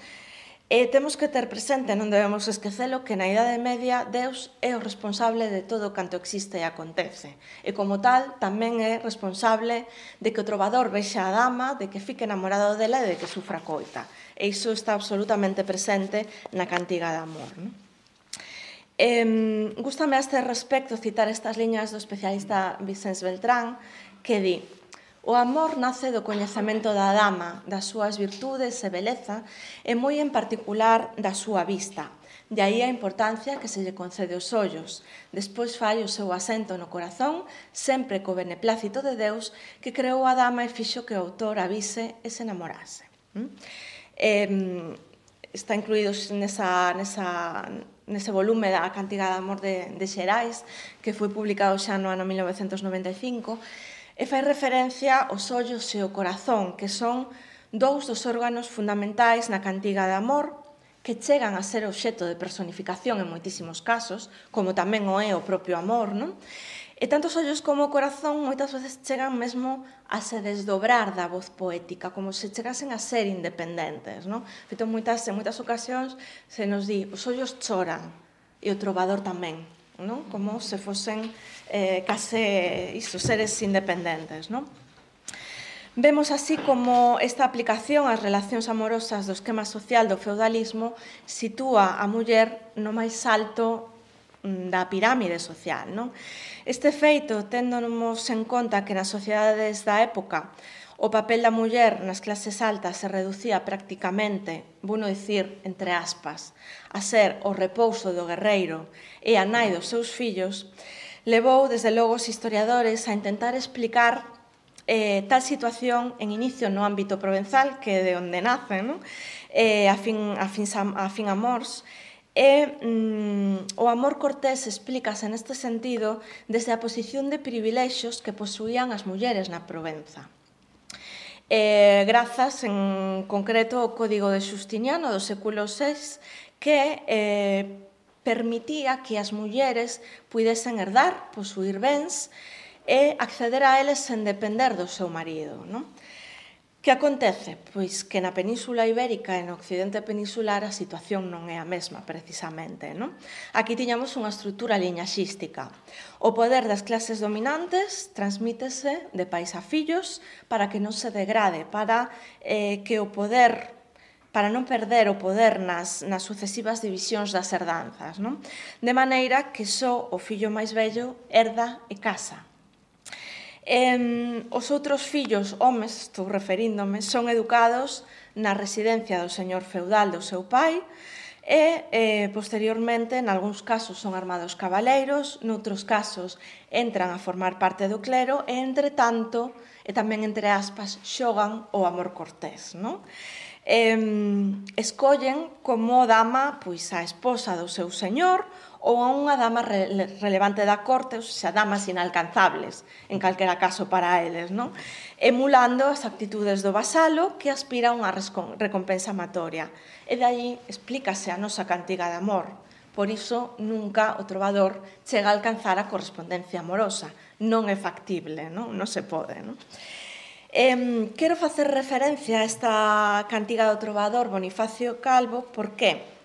E temos que ter presente, non debemos esquecelo, que na Idade Media Deus é o responsable de todo canto existe e acontece. E como tal, tamén é responsable de que o trovador vexa a dama, de que fique enamorado dela e de que sufra coita. E iso está absolutamente presente na cantiga de amor, non? Gústame a este respecto citar estas liñas do especialista Vicens Beltrán, que di: o amor nace do coñecemento da dama, das súas virtudes e beleza, e moi en particular da súa vista. De aí a importancia que se lle concede os ollos. Despois fai o seu asento no corazón, sempre co beneplácito de Deus, que creou a dama e fixo que o autor avise e se enamorase. Está incluído nese volume da Cantiga de Amor de Xerais, que foi publicado xa no ano 1995, e fai referencia aos ollos e ao corazón, que son dous dos órganos fundamentais na cantiga de amor, que chegan a ser obxecto de personificación en moitísimos casos, como tamén o é o propio amor, non? E tanto os ollos como o corazón moitas veces chegan mesmo a se desdobrar da voz poética, como se chegasen a ser independentes, non? En moitas ocasións se nos di, os ollos choran, e o trovador tamén, non? Como se fosen case seres independentes, non? Vemos así como esta aplicación ás relacións amorosas do esquema social do feudalismo sitúa a muller no máis alto da pirámide social, non? Este feito, téndonos en conta que nas sociedades da época o papel da muller nas clases altas se reducía prácticamente, bueno dicir, entre aspas, a ser o repouso do guerreiro e a nai dos seus fillos, levou, desde logo, os historiadores a intentar explicar tal situación en inicio no ámbito provenzal, que é de onde nace, non? A fin amors, e o amor cortés explícase neste sentido desde a posición de privilexios que posuían as mulleres na Provenza. Grazas, en concreto, ao Código de Justiniano do século VI, que permitía que as mulleres puidesen herdar, posuir bens e acceder a eles sen depender do seu marido, non? Que acontece? Pois que na Península Ibérica e no occidente peninsular a situación non é a mesma, precisamente. Non? Aquí tiñamos unha estrutura liñaxística. O poder das clases dominantes transmítese de pais a fillos para que non se degrade, para que o poder, para non perder o poder nas sucesivas divisións das herdanzas. Non? De maneira que só o fillo máis vello herda e casa. Os outros fillos, homes, estou referíndome, son educados na residencia do señor feudal do seu pai e, posteriormente, en algúns casos son armados cabaleiros, noutros casos entran a formar parte do clero e, entre tanto, e tamén entre aspas, xogan o amor cortés, non? Escollen como dama pois a esposa do seu señor ou a unha dama relevante da corte, ou seja, damas inalcanzables, en calquera caso para eles, non? Emulando as actitudes do vasalo que aspira a unha recompensa amatoria. E de aí explícase a nosa cantiga de amor. Por iso, nunca o trovador chega a alcanzar a correspondencia amorosa. Non é factible, non se pode, non? Quero facer referencia a esta cantiga do trovador Bonifacio Calvo, por qué?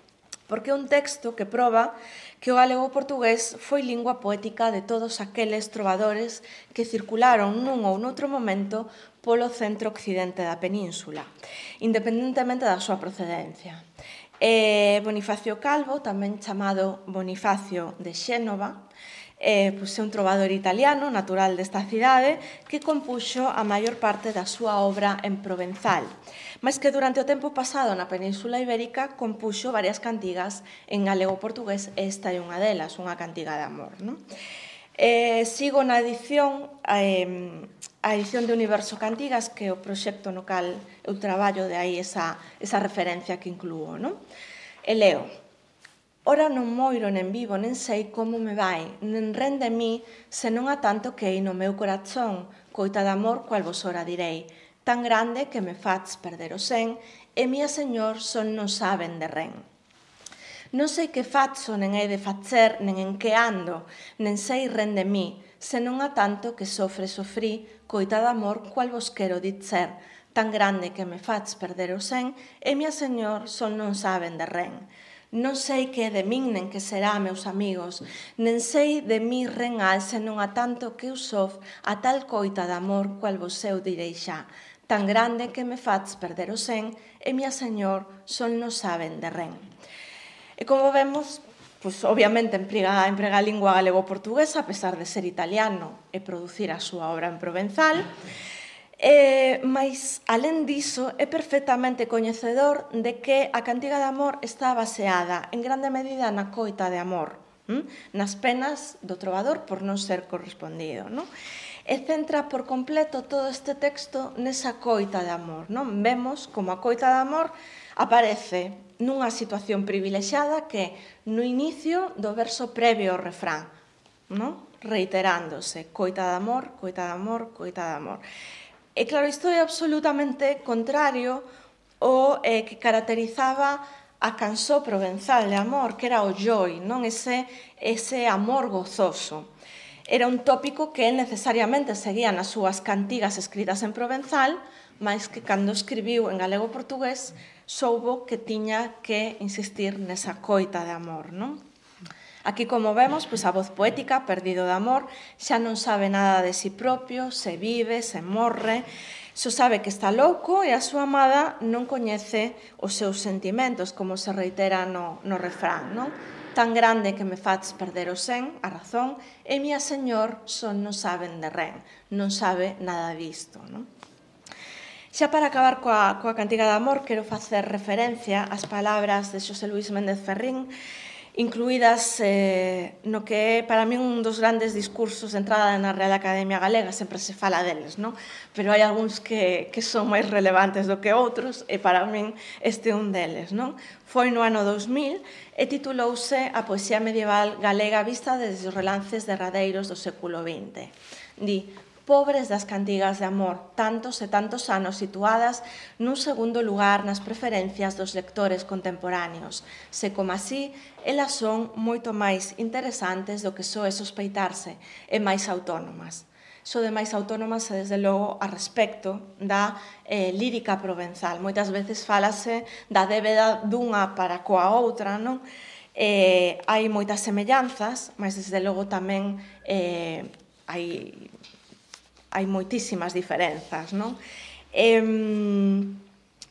Porque é un texto que proba que o galego portugués foi lingua poética de todos aqueles trovadores que circularon nun ou noutro momento polo centro-occidente da península, independentemente da súa procedencia. Bonifacio Calvo, tamén chamado Bonifacio de Xénova, é un trovador italiano, natural desta cidade, que compuxo a maior parte da súa obra en provenzal, mas que durante o tempo pasado na Península Ibérica compuxo varias cantigas en galego-portugués, esta é unha delas, unha cantiga de amor. Non? Sigo na edición, a edición de Universo Cantigas, que é o proxecto no cal eu traballo, de aí esa referencia que incluo. Non? E leo: ora non moiro nen vivo, nen sei como me vai, nen rende mí, senón a tanto que hai no meu corazón, coita de amor, cual vos ora direi, tan grande que me faz perder o sen, e mía señor son non saben de ren. Non sei que fazo, nen hei de facer, nen en que ando, nen sei rende mí, senón a tanto que sofrí, coita de amor, cual vos quero dizer, tan grande que me faz perder o sen, e mía señor son non saben de ren. Non sei que é de min, nen que será, meus amigos, nen sei de mi renal, senón a tanto que eu sof a tal coita de amor, cual vos eu direi xa, tan grande que me faz perder o sen, e mía señor son non saben de ren. E como vemos, obviamente emprega a lingua galego-portuguesa, a pesar de ser italiano e producir a súa obra en provenzal, mas, alén diso, é perfectamente coñecedor de que a cantiga de amor está baseada en grande medida na coita de amor, nas penas do trovador por non ser correspondido. Non? E centra por completo todo este texto nesa coita de amor. Non? Vemos como a coita de amor aparece nunha situación privilexiada que no inicio do verso previo ao refrán, non? Reiterándose, coita de amor, coita de amor, coita de amor. E claro, isto é absolutamente contrario ao que caracterizaba a cançó provenzal de amor, que era o joi, non? Ese amor gozoso. Era un tópico que necesariamente seguía nas súas cantigas escritas en provenzal, mas que cando escribiu en galego-portugués soubo que tiña que insistir nesa coita de amor, non? Aquí, como vemos, a voz poética, perdido de amor, xa non sabe nada de si propio, se vive, se morre, só sabe que está louco e a súa amada non coñece os seus sentimentos, como se reitera no refrán, non? Tan grande que me faz perder o sen, a razón, e mía señor son non saben de ren, non sabe nada disto, non? Xa para acabar coa cantiga de amor, quero facer referencia ás palabras de Xosé Luís Méndez Ferrín, incluídas no que é para min un dos grandes discursos de entrada na Real Academia Galega, sempre se fala deles, non? Pero hai algúns que son máis relevantes do que outros, e para min este é un deles, non? Foi no ano 2000 e titulouse A poesía medieval galega vista desde os relances derradeiros do século XX. Di: pobres das cantigas de amor, tantos e tantos anos situadas nun segundo lugar nas preferencias dos lectores contemporáneos, se como así elas son moito máis interesantes do que soe sospeitarse e máis autónomas. so de máis autónomas e, desde logo, a respecto da lírica provenzal. Moitas veces fálase da débeda dunha para coa outra, non? Hai moitas semellanzas, mas, desde logo, tamén hai moitísimas diferenzas, non?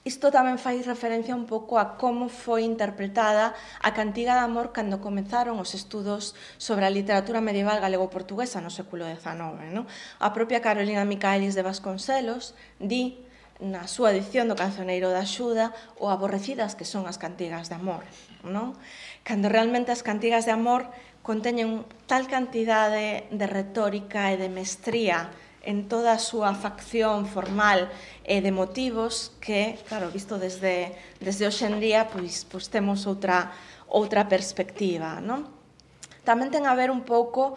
Isto tamén fai referencia un pouco a como foi interpretada a cantiga de amor cando comenzaron os estudos sobre a literatura medieval galego-portuguesa no século XIX. Non? A propia Carolina Micaelis de Vasconcelos di na súa edición do Cancioneiro da Axuda o aborrecidas que son as cantigas de amor. Non? Cando realmente as cantigas de amor conteñen tal cantidade de retórica e de mestría en toda a súa facción formal e de motivos que, claro, visto desde hoxe en día, pois temos outra perspectiva, non? Tamén ten a ver un pouco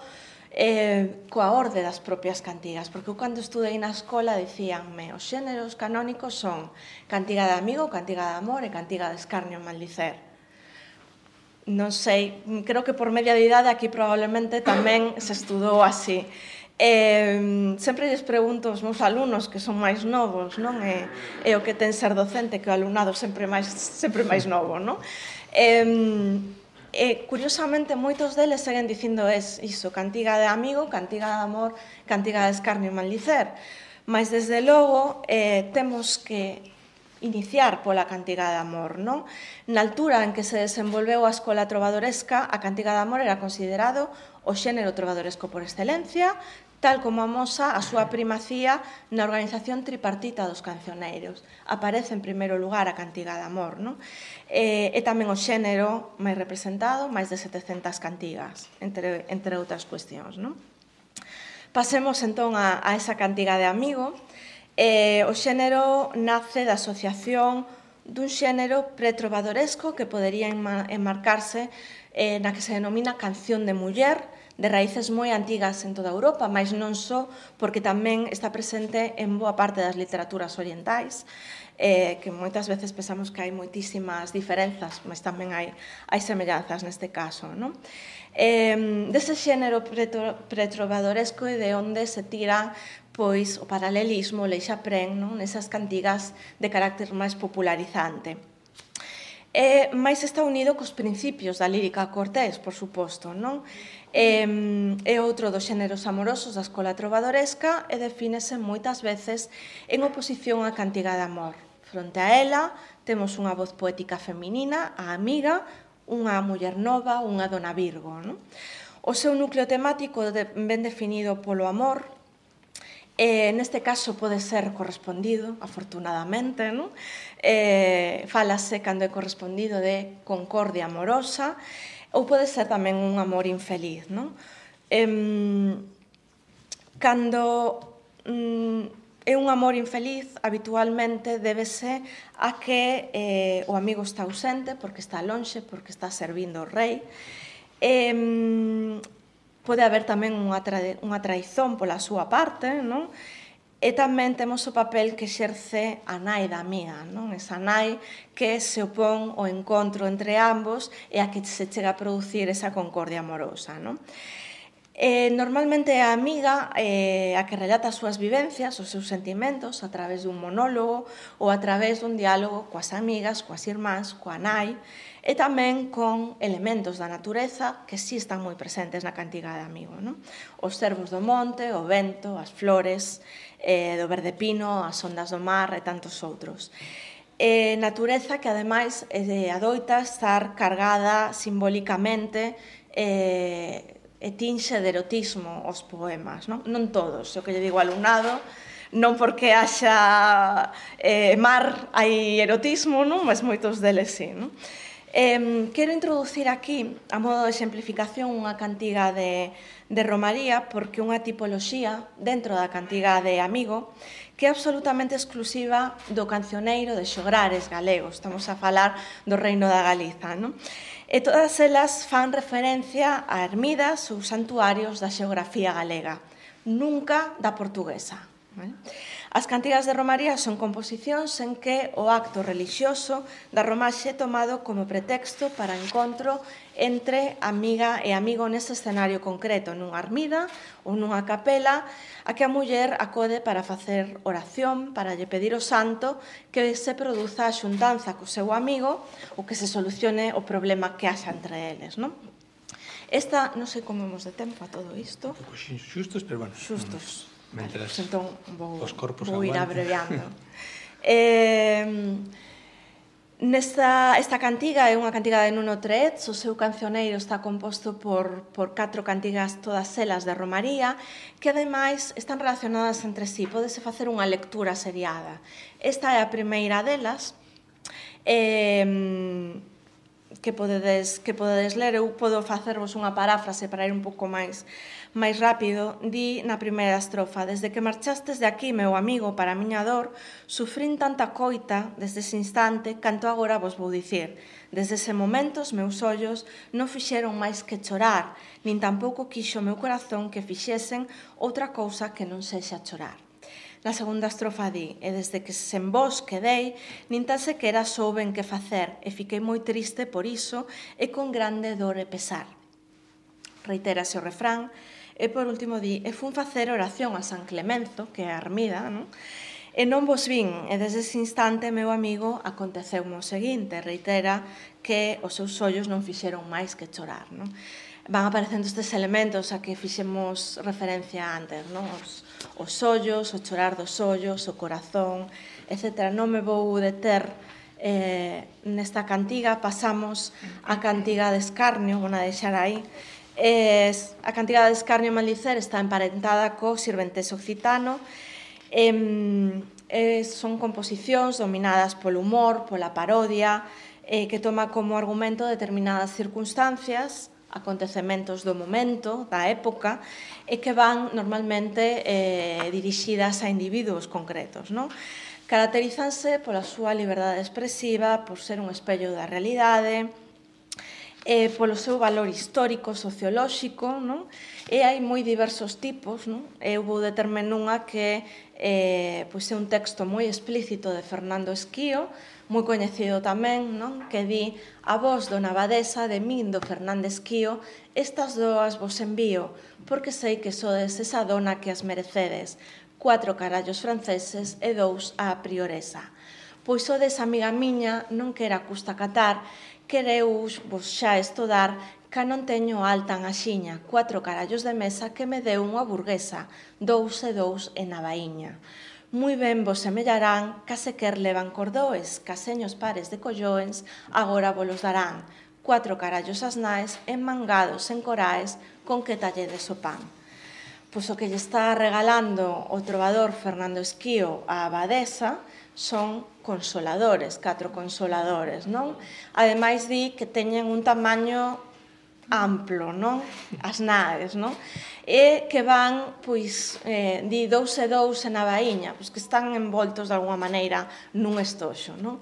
coa orde das propias cantigas, porque eu cando estudei na escola dicíanme os xéneros canónicos son cantiga de amigo, cantiga de amor e cantiga de escarnio e maldicer. Non sei, creo que por media de idade aquí probablemente tamén se estudou así. Sempre lles pregunto aos meus alumnos que son máis novos, non? É o que ten ser docente, que o alumnado sempre máis novo, non? Curiosamente, moitos deles seguen dicindo iso, cantiga de amigo, cantiga de amor, cantiga de escarnio e maldicer. Mas, desde logo, temos que iniciar pola cantiga de amor, non? Na altura en que se desenvolveu a escola trovadoresca, a cantiga de amor era considerado o xénero trovadoresco por excelencia, tal como amosa a súa primacía na organización tripartita dos cancioneiros. Aparece en primeiro lugar a cantiga de amor, non? É tamén o xénero máis representado, máis de 700 cantigas, entre outras cuestións, non? Pasemos, entón, a esa cantiga de amigo. O xénero nace da asociación dun xénero pretrovadoresco que podería enmarcarse na que se denomina canción de muller, de raíces moi antigas en toda Europa, mas non só, porque tamén está presente en boa parte das literaturas orientais, que moitas veces pensamos que hai moitísimas diferenzas, mas tamén hai semellanzas neste caso, non? Dese xénero pretrovadoresco e de onde se tira pois o paralelismo, o leixaprén, non? Nesas cantigas de carácter máis popularizante. Mais está unido cos principios da lírica cortés, por suposto, non? É outro dos xéneros amorosos da escola trovadoresca e defínese moitas veces en oposición á cantiga de amor. Fronte a ela, temos unha voz poética feminina, a amiga, unha muller nova, unha dona Virgo, non? O seu núcleo temático ben definido polo amor. Neste caso pode ser correspondido, afortunadamente, non? Fálase cando é correspondido de concordia amorosa ou pode ser tamén un amor infeliz, non? Cando é un amor infeliz, habitualmente débese a que o amigo está ausente porque está lonxe, porque está servindo o rei. Pode haber tamén unha traizón pola súa parte, non? E tamén temos o papel que exerce a nai da amiga, non? Esa nai que se opón ao encontro entre ambos e a que se chega a producir esa concordia amorosa, non? Normalmente é a amiga a que relata as súas vivencias, os seus sentimentos, a través dun monólogo ou a través dun diálogo coas amigas, coas irmáns, coa nai, e tamén con elementos da natureza que sí están moi presentes na cantiga de amigo, non? Os cervos do monte, o vento, as flores do verde pino, as ondas do mar e tantos outros. Natureza que, ademais, adoita estar cargada simbólicamente e tinxe de erotismo os poemas, non? Non todos, o que lle digo ao alumnado, non porque haxa mar hai erotismo, non? Mas moitos deles sí, non? Quero introducir aquí, a modo de exemplificación, unha cantiga de Romaría, porque unha tipoloxía dentro da cantiga de Amigo que é absolutamente exclusiva do cancioneiro de xograres galegos. Estamos a falar do Reino da Galiza, non? E todas elas fan referencia a ermidas ou santuarios da xeografía galega, nunca da portuguesa. As cantigas de romaría son composicións en que o acto relixioso da romaxe é tomado como pretexto para encontro entre amiga e amigo nese escenario concreto, nunha ermida ou nunha capela, a que a muller acode para facer oración, para lle pedir ao santo que se produza a xuntanza co seu amigo ou que se solucione o problema que haxa entre eles, non? Esta, non sei como imos de tempo a todo isto. Un pouco xustos, pero bueno. Xustos. Mentras entón, os corpos vou ir aguanten. abreviando. Esta cantiga é unha cantiga de Nuno Treets, o seu cancioneiro está composto por 4 cantigas, todas elas de romaría, que ademais están relacionadas entre sí, pódese facer unha lectura seriada. Esta é a primeira delas, que podedes ler. Eu podo facervos unha paráfrase para ir un pouco máis rápido. Di na primeira estrofa: desde que marchastes de aquí, meu amigo, para a miña dor, sufrín tanta coita desde ese instante, canto agora vos vou dicir. Desde ese momento os meus ollos non fixeron máis que chorar, nin tampouco quixo o meu corazón que fixesen outra cousa que non sexa chorar. Na segunda estrofa di: e desde que sen vos quedei, nin tan sequera souben que facer, e fiquei moi triste por iso, e con grande dor e pesar. Reitérase o refrán, e por último di: e fun facer oración a San Clemenzo, que é a ermida, non? E non vos vin, e desde ese instante, meu amigo, aconteceu o seguinte. Reitera que os seus ollos non fixeron máis que chorar, non? Van aparecendo estes elementos a que fixemos referencia antes, non? Os ollos, o chorar dos ollos, o corazón, etc. Non me vou deter nesta cantiga. Pasamos a cantiga de escarnio, vou a deixar aí. A cantiga de escarnio e maldicer está emparentada co sirventés occitano. Son composicións dominadas polo humor, pola parodia, que toma como argumento determinadas circunstancias, acontecementos do momento, da época, e que van normalmente dirixidas a individuos concretos, non? Caracterízanse pola súa liberdade expresiva, por ser un espello da realidade, polo seu valor histórico, sociolóxico, non? E hai moi diversos tipos, non? Eu vou determe nunha que é un texto moi explícito de Fernando Esquío, moi coñecido tamén, non? Que di: a vos, dona abadesa, de min, do Fernández Quío, estas doas vos envío, porque sei que sodes esa dona que as merecedes, 4 carallos franceses e 2 a prioresa. Pois sodes, amiga miña, non quera custa catar, quereus vos xa estudar, ca non teño alta en axiña, 4 carallos de mesa que me deu unha burguesa, 2 e 2 en navaíña. Moi ben vos semellarán, case quer levan cordoes, caseños pares de colloens, agora volos darán, 4 carallos as naes, enmangados en coraes, con que talledes o pan. Pois o que lle está regalando o trovador Fernando Esquío á abadesa son consoladores, 4 consoladores, non? Ademais di que teñen un tamaño amplo, non? As naes, non? E que van, pois, di 2 e 2 en navaíña, pois que están envoltos de alguma maneira nun estoxo, non?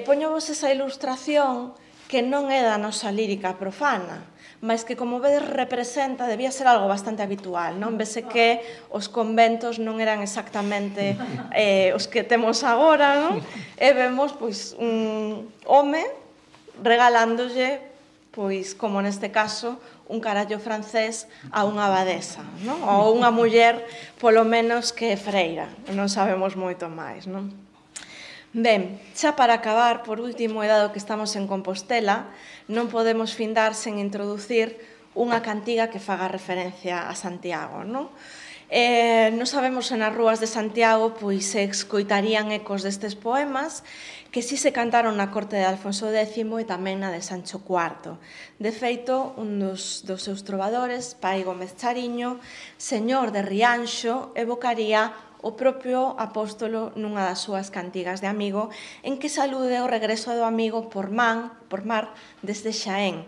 Poñovos esa ilustración que non é da nosa lírica profana, mas que, como vedes, representa, debía ser algo bastante habitual, non? Vese que os conventos non eran exactamente os que temos agora, non? E vemos, pois, un home regalándolle, pois, como neste caso, un carallo francés a unha abadesa, non? Ou unha muller, polo menos, que é freira. Non sabemos moito máis, non? Ben, xa para acabar, por último, e dado que estamos en Compostela, non podemos findar sen introducir unha cantiga que faga referencia a Santiago, non? Non sabemos se nas rúas de Santiago pois se escoitarían ecos destes poemas que si se cantaron na corte de Alfonso X e tamén na de Sancho IV. De feito, un dos seus trovadores, Pai Gómez Chariño, señor de Rianxo, evocaría o propio apóstolo nunha das súas cantigas de amigo en que salude o regreso do amigo por mar desde Xaén,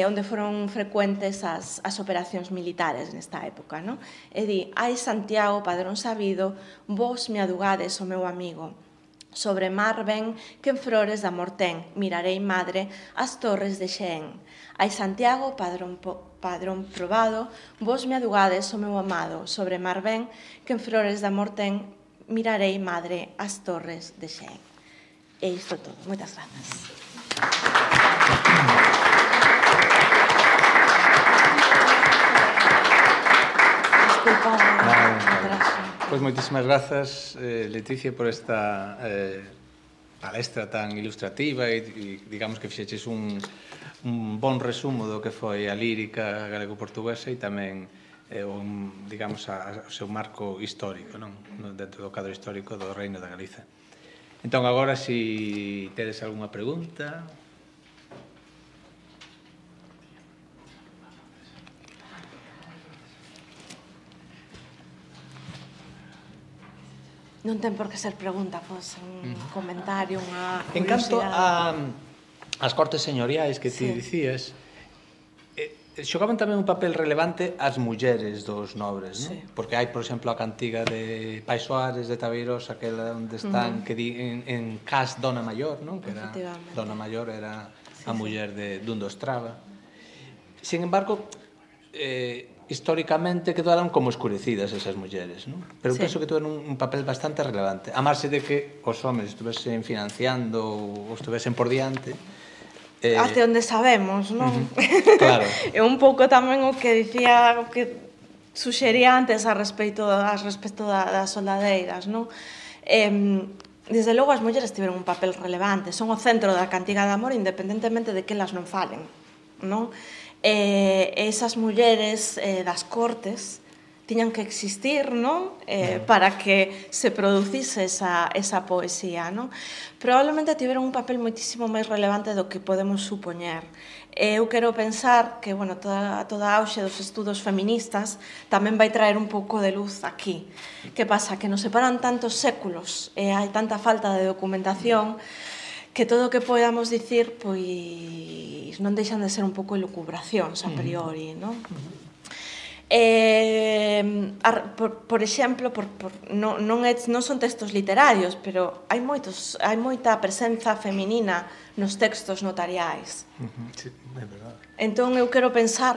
onde foron frecuentes as operacións militares nesta época, non? E di: ai Santiago, padrón sabido, vos me adugades o meu amigo. Sobre mar ven, que en flores de amor ten, mirarei, madre, as torres de Xeén. Ai Santiago, padrón probado, vos me adugades o meu amado. Sobre mar ven, que en flores de amor ten, mirarei, madre, as torres de Xeén. E isto todo. Moitas grazas. Pois moitísimas grazas, Leticia, por esta palestra tan ilustrativa e digamos que fixeches un bon resumo do que foi a lírica galego-portuguesa e tamén digamos, o seu marco histórico, non? Dentro do cadro histórico do Reino da Galiza. Entón, agora, se tedes algunha pregunta... Non ten por que ser pregunta, pois un comentario, unha curiosidade. En canto ás cortes señoriais que ti dicías, xogaban tamén un papel relevante as mulleres dos nobres, non? Porque hai, por exemplo, a cantiga de Pai Soares de Tabeiros, aquela onde están, que di en Cas Dona Maior, non? Que era Dona Maior era a muller dun dos Traba. Sin embargo, históricamente quedaron como escurecidas esas mulleres, non? Pero penso que tuveron un papel bastante relevante. A marxe de que os homens estuvesen financiando ou estuvesen por diante. Até onde sabemos, non? Claro. E un pouco tamén o que dicía, o que suxería antes a respecto das soldadeiras, non? Desde logo as mulleres tiveron un papel relevante, son o centro da cantiga de amor independentemente de que elas non falen, non? Esas mulleres das cortes tiñan que existir, non? Para que se producise esa poesía, non? Probablemente tiveron un papel moitísimo máis relevante do que podemos supoñer. Eu quero pensar que, bueno, toda a auxe dos estudos feministas tamén vai traer un pouco de luz aquí. Que pasa? Que nos separan tantos séculos e hai tanta falta de documentación que todo o que podamos dicir, pois, non deixan de ser un pouco elucubracións a priori, non? Por exemplo, non son textos literarios, pero hai moita presenza feminina nos textos notariais. Sí, é verdade. Entón, eu quero pensar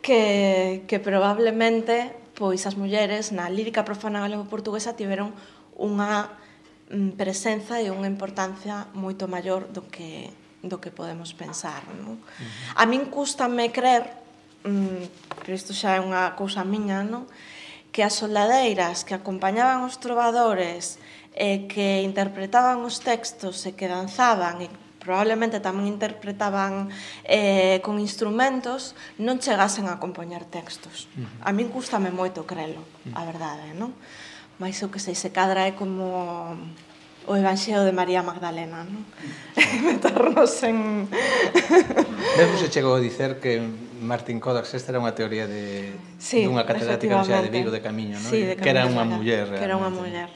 que probablemente pois as mulleres na lírica profana galego-portuguesa tiveron unha presenza e unha importancia moito maior do que podemos pensar, non? A min cústame crer, pero isto xa é unha cousa miña, non? Que as soldadeiras que acompañaban os trovadores e que interpretaban os textos e que danzaban e probablemente tamén interpretaban con instrumentos non chegasen a compoñer textos. A min cústame moito crelo, a verdade, non? Mais eu que sei, se cadra é como o Evanxeo de María Magdalena, non? Meternos en... Mesmo se chegou a dicer que Martín Codax esta era unha teoría dunha catedrática da Universidade de Vigo de Camiño, non? Que era unha muller. Que era unha muller.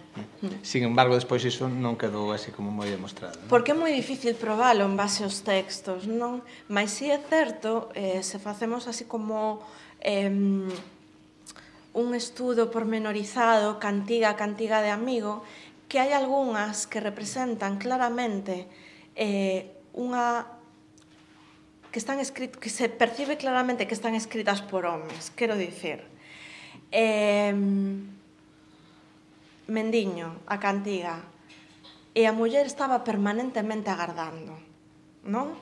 Sin embargo, despois iso non quedou así como moi demostrado. Porque é moi difícil probalo en base aos textos, non? Mais si é certo, se facemos así como un estudo pormenorizado, cantiga de amigo, que hai algunhas que representan claramente unha que se percibe claramente que están escritas por homes, quero dicir. Mendiño, a cantiga, e a muller estaba permanentemente agardando, non?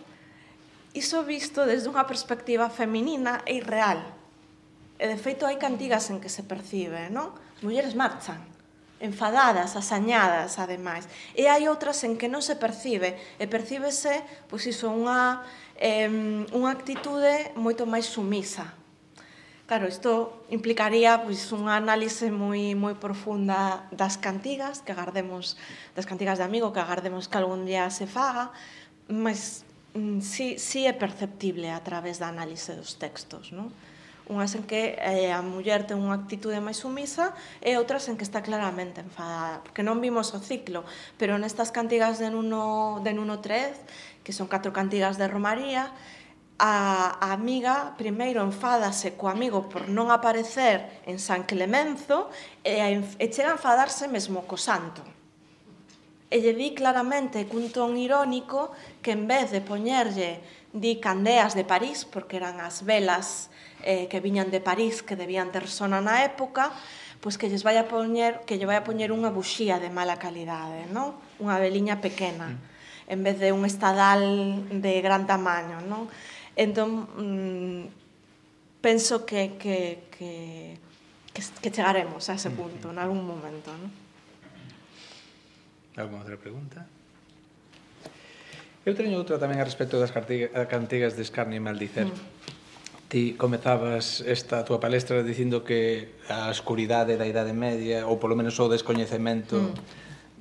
Iso visto desde unha perspectiva feminina é irreal. E, de feito, hai cantigas en que se percibe, non? As mulleres marchan, enfadadas, asañadas, ademais. E hai outras en que non se percibe, e percíbese, pois iso, unha actitude moito máis sumisa. Claro, isto implicaría pois unha análise moi profunda das cantigas, que agardemos, das cantigas de amigo, que agardemos que algún día se faga, mas si é perceptible a través da análise dos textos, non? Unhas en que a muller ten unha actitude máis sumisa e outras en que está claramente enfadada. Porque non vimos o ciclo, pero nestas cantigas de Nuno 3, que son 4 cantigas de Romaría, a amiga primeiro enfádase co amigo por non aparecer en San Clemenzo e chega a enfadarse mesmo co santo. e lle di claramente cun ton irónico que en vez de poñerlle di candeas de París, porque eran as velas que viñan de París, que debían ter sona na época, pois que lle vai a poñer unha buxía de mala calidade, non? Unha veliña pequena, en vez de un estadal de gran tamaño, non? Entón, penso que chegaremos a ese punto en algún momento, non? Alguna outra pregunta? Eu teño outra tamén a respecto das cantigas de escarnio e maldicer. Ti comezabas esta túa palestra dicindo que a escuridade da Idade Media, ou polo menos o descoñecemento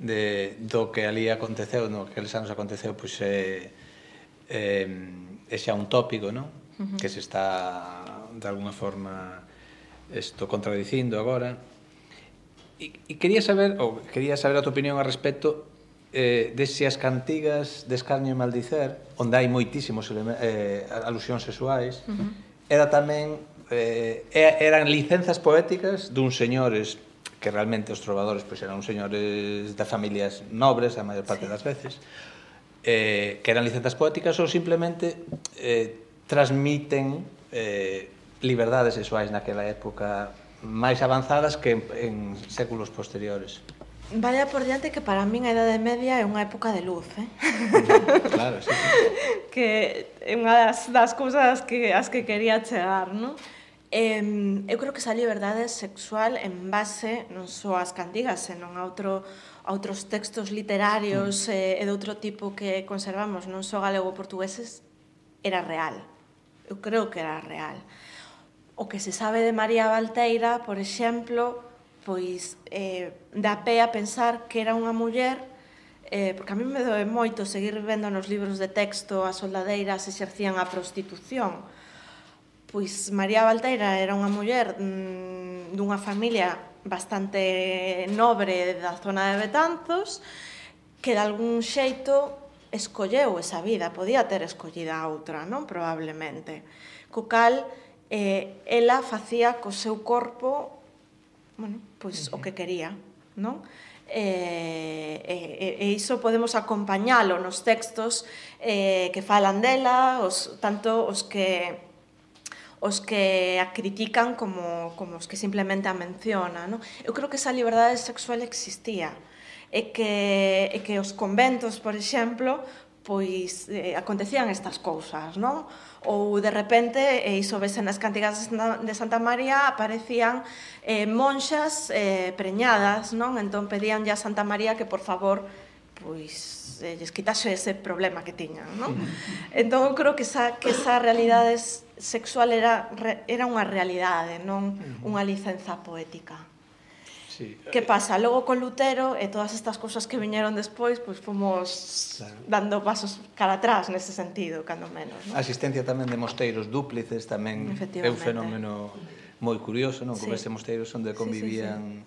do que ali aconteceu, no que aqueles anos aconteceu, pois é xa un tópico, non? Que se está, de alguna forma, contradicindo agora. E quería saber a tua opinión a respecto de se as cantigas de escarnio e maldicer, onde hai moitísimos alusións sexuais, eran licenzas poéticas duns señores que realmente os trovadores eran uns señores de familias nobres a maior parte das veces, que eran licenzas poéticas ou simplemente transmiten liberdades sexuais naquela época máis avanzadas que en séculos posteriores. Vaya por diante que para min a Idade Media é unha época de luz, Claro, sí. Que é unha das cousas as que quería chegar, non? Eu creo que esa liberdade sexual en base non só ás cantigas, senón a outros textos literarios e de outro tipo que conservamos, non só galego-portugueses, era real. Eu creo que era real. O que se sabe de María Valteira, por exemplo, pois dá pé a pensar que era unha muller, porque a mí me doe moito seguir vendo nos libros de texto as soldadeiras exercían a prostitución. Pois María Valteira era unha muller dunha familia bastante nobre da zona de Betanzos, que de algún xeito escolleu esa vida, podía ter escollido a outra, non? Probablemente. Co cal, ela facía co seu corpo pois o que quería, non? E iso podemos acompañalo nos textos que falan dela, tanto os que a critican como os que simplemente a mencionan, non? Eu creo que esa liberdade sexual existía e que os conventos, por exemplo, pois acontecían estas cousas, non? Ou de repente, e iso vese nas cantigas de Santa María, aparecían monxas preñadas, non? Entón pedíanlle a Santa María que por favor pois lles quitase ese problema que tiñan, non? Entón eu creo que esa realidade sexual era unha realidade, non unha licenza poética. Que pasa? Logo con Lutero e todas estas cousas que viñeron despois, pois fomos dando pasos cara atrás nese sentido, cando menos. A existencia tamén de mosteiros dúplices tamén é un fenómeno moi curioso, non? Como estes mosteiros onde convivían...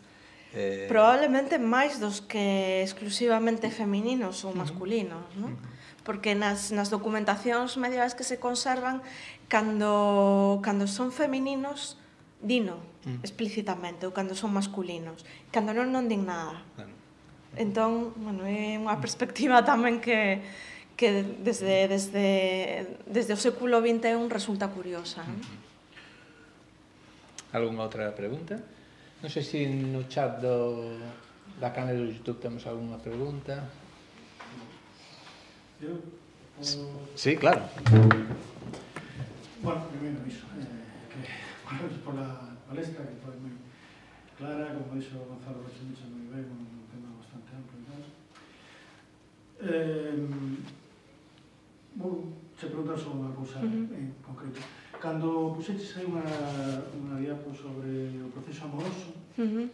Probablemente máis dos que exclusivamente femininos ou masculinos, non? Porque nas documentacións medievais que se conservan, cando son femininos, dino explícitamente, ou cando son masculinos. Cando non din nada. Entón, é unha perspectiva tamén que desde o século XXI resulta curiosa. Algúnha outra pregunta? Non sei se no chat da canal do YouTube temos algunha pregunta. Sí, claro. Bueno, primeiro iso, por la palestra que foi moi clara, como dixo Gonzalo Rochemicha moi ben, un tema bastante amplo e tal. Vou che preguntar sobre unha cousa en concreto. Cando puxeches aí unha diapo sobre o proceso amoroso,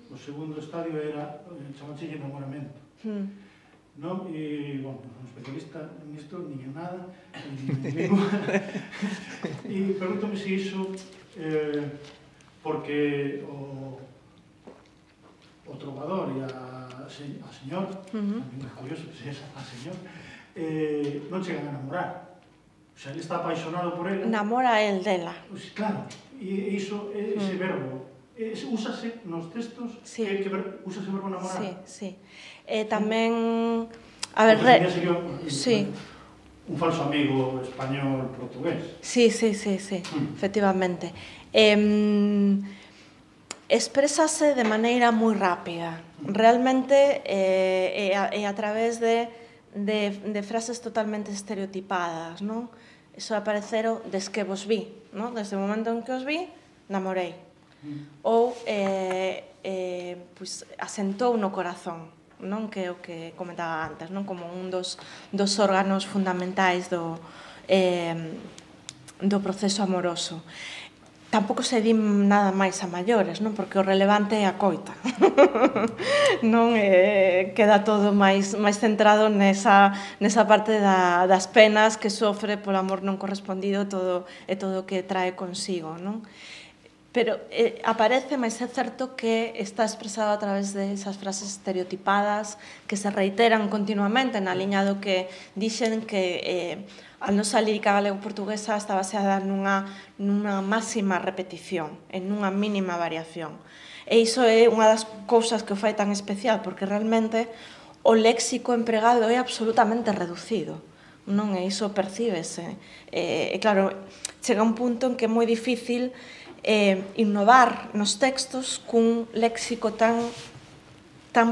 o segundo estadio era, chamache enamoramento. Non? E, bueno, un especialista nisto, nin en nada, e pregúntame se iso, porque o trovador e a señor, tamén é curioso que se a señor, non chegan a enamorar. O sea, ele está apaixonado por ela. Namora el dela. Claro, e iso, ese verbo, Úsase nos textos, úsase o verbo namorar? Sí. Tamén... A ver, sería un falso amigo español-portugués. Sí, efectivamente. Exprésase de maneira moi rápida. Realmente é a través de frases totalmente estereotipadas, non? Iso apareceron des que vos vi, non? Desde o momento en que os vi, namorei. Ou asentou no corazón, non? Que é o que comentaba antes, non? Como un dos órganos fundamentais do proceso amoroso. Tampouco se di nada máis a maiores, non? Porque o relevante é a coita. Non queda todo máis centrado nesa parte das penas que sofre polo amor non correspondido e todo o que trae consigo, non? Pero aparece, mas é certo que está expresado a través de esas frases estereotipadas que se reiteran continuamente na liña do que dixen que a nosa lírica galego-portuguesa está baseada nunha máxima repetición, en nunha mínima variación. E iso é unha das cousas que o fai tan especial, porque realmente o léxico empregado é absolutamente reducido, non? E iso percíbese. E claro, chega un punto en que é moi difícil innovar nos textos cun léxico tan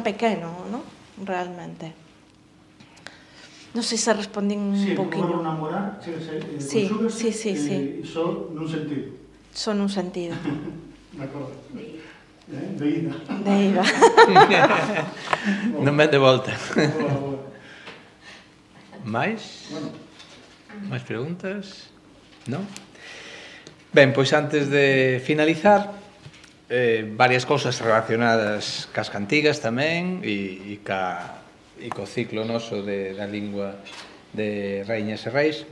pequeno, non? Realmente. Non sei se respondín un poquinho. Sí, o verbo namorar, sí. Só nun sentido. Só nun sentido. De acordo. De ida. Non ven de volta. Mais? Mais preguntas? Non? Ben, pois antes de finalizar, varias cousas relacionadas cas cantigas tamén e co ciclo noso da lingua de Raíñas e Reis.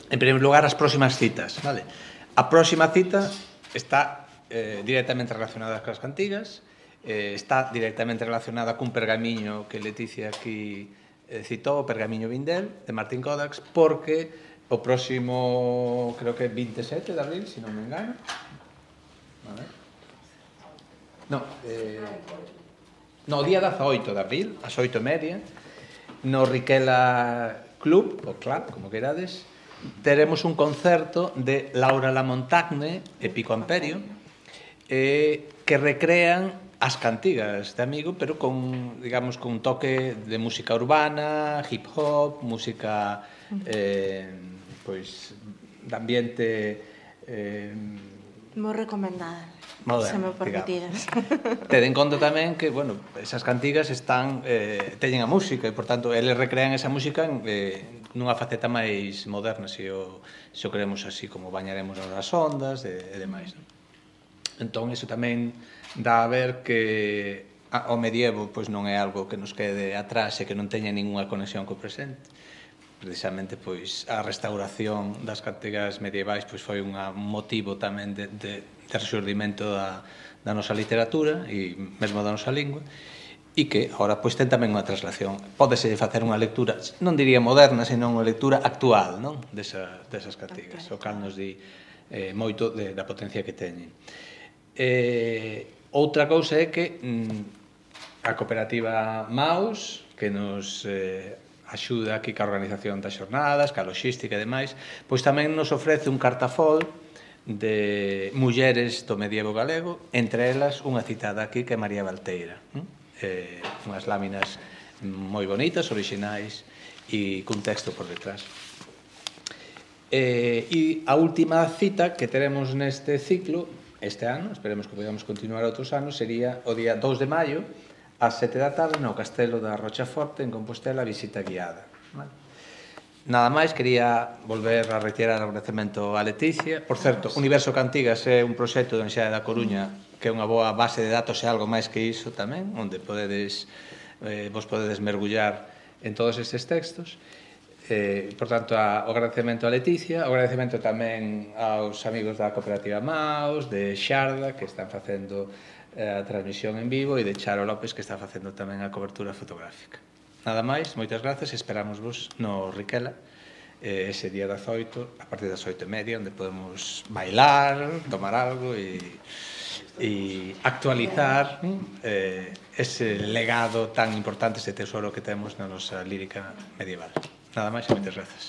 En primeiro lugar, as próximas citas, vale? A próxima cita está directamente relacionada cas cantigas, está directamente relacionada cun pergamiño que Leticia aquí citou, o pergamiño Vindel, de Martín Codax, porque o próximo, creo que 27 de abril, se non me engano. A ver. No, o día 18 de abril, ás 8:30, no Riquela Club, ou Club, como queirades, teremos un concerto de Laura Lamontagne e Pico Amperio, que recrean as cantigas de Amigo, pero con, digamos, con un toque de música urbana, hip hop, música pois de ambiente moi recomendada, se me permitiras. Ten en conta tamén que, bueno, esas cantigas teñen a música e, por tanto, eles recrean esa música nunha faceta máis moderna, se o queremos así, como bañaremos nas ondas e demais. Entón, iso tamén dá a ver que o medievo pois non é algo que nos quede atrás e que non teña ninguna conexión co presente. Precisamente pois a restauración das cantigas medievais pois foi un motivo tamén de resurdimento da nosa literatura e mesmo da nosa lingua, e que agora pois ten tamén unha traslación. Pódese facer unha lectura, non diría moderna, senón unha lectura actual, non? Desas cantigas, o cal nos di moito da potencia que teñen. Outra cousa é que a cooperativa Maus, que nos axuda aquí ca organización das xornadas, ca logística e demais, pois tamén nos ofrece un cartafol de mulleres do medievo galego, entre elas unha citada aquí que é María Valteira. Unhas láminas moi bonitas, orixinais e cun texto por detrás. E a última cita que teremos neste ciclo este ano, esperemos que podamos continuar outros anos, sería o día 2 de maio, ás 7 da tarde, no Castelo da Rochaforte, en Compostela, visita guiada. Nada máis, quería volver a retirar o agradecemento a Leticia. Por certo, Universo Cantigas é un proxecto da Universidade da Coruña que é unha boa base de datos e algo máis que iso tamén, onde vos podedes mergullar en todos estes textos. Por tanto, o agradecemento a Leticia, o agradecemento tamén aos amigos da cooperativa Maus, de Xarda, que están facendo a transmisión en vivo, e de Charo López, que está facendo tamén a cobertura fotográfica. Nada máis, moitas grazas, esperamos vos no Riquela ese día 18, a partir das 8:30, onde podemos bailar, tomar algo e actualizar ese legado tan importante, ese tesoro que temos na nosa lírica medieval. Nada máis e moitas grazas.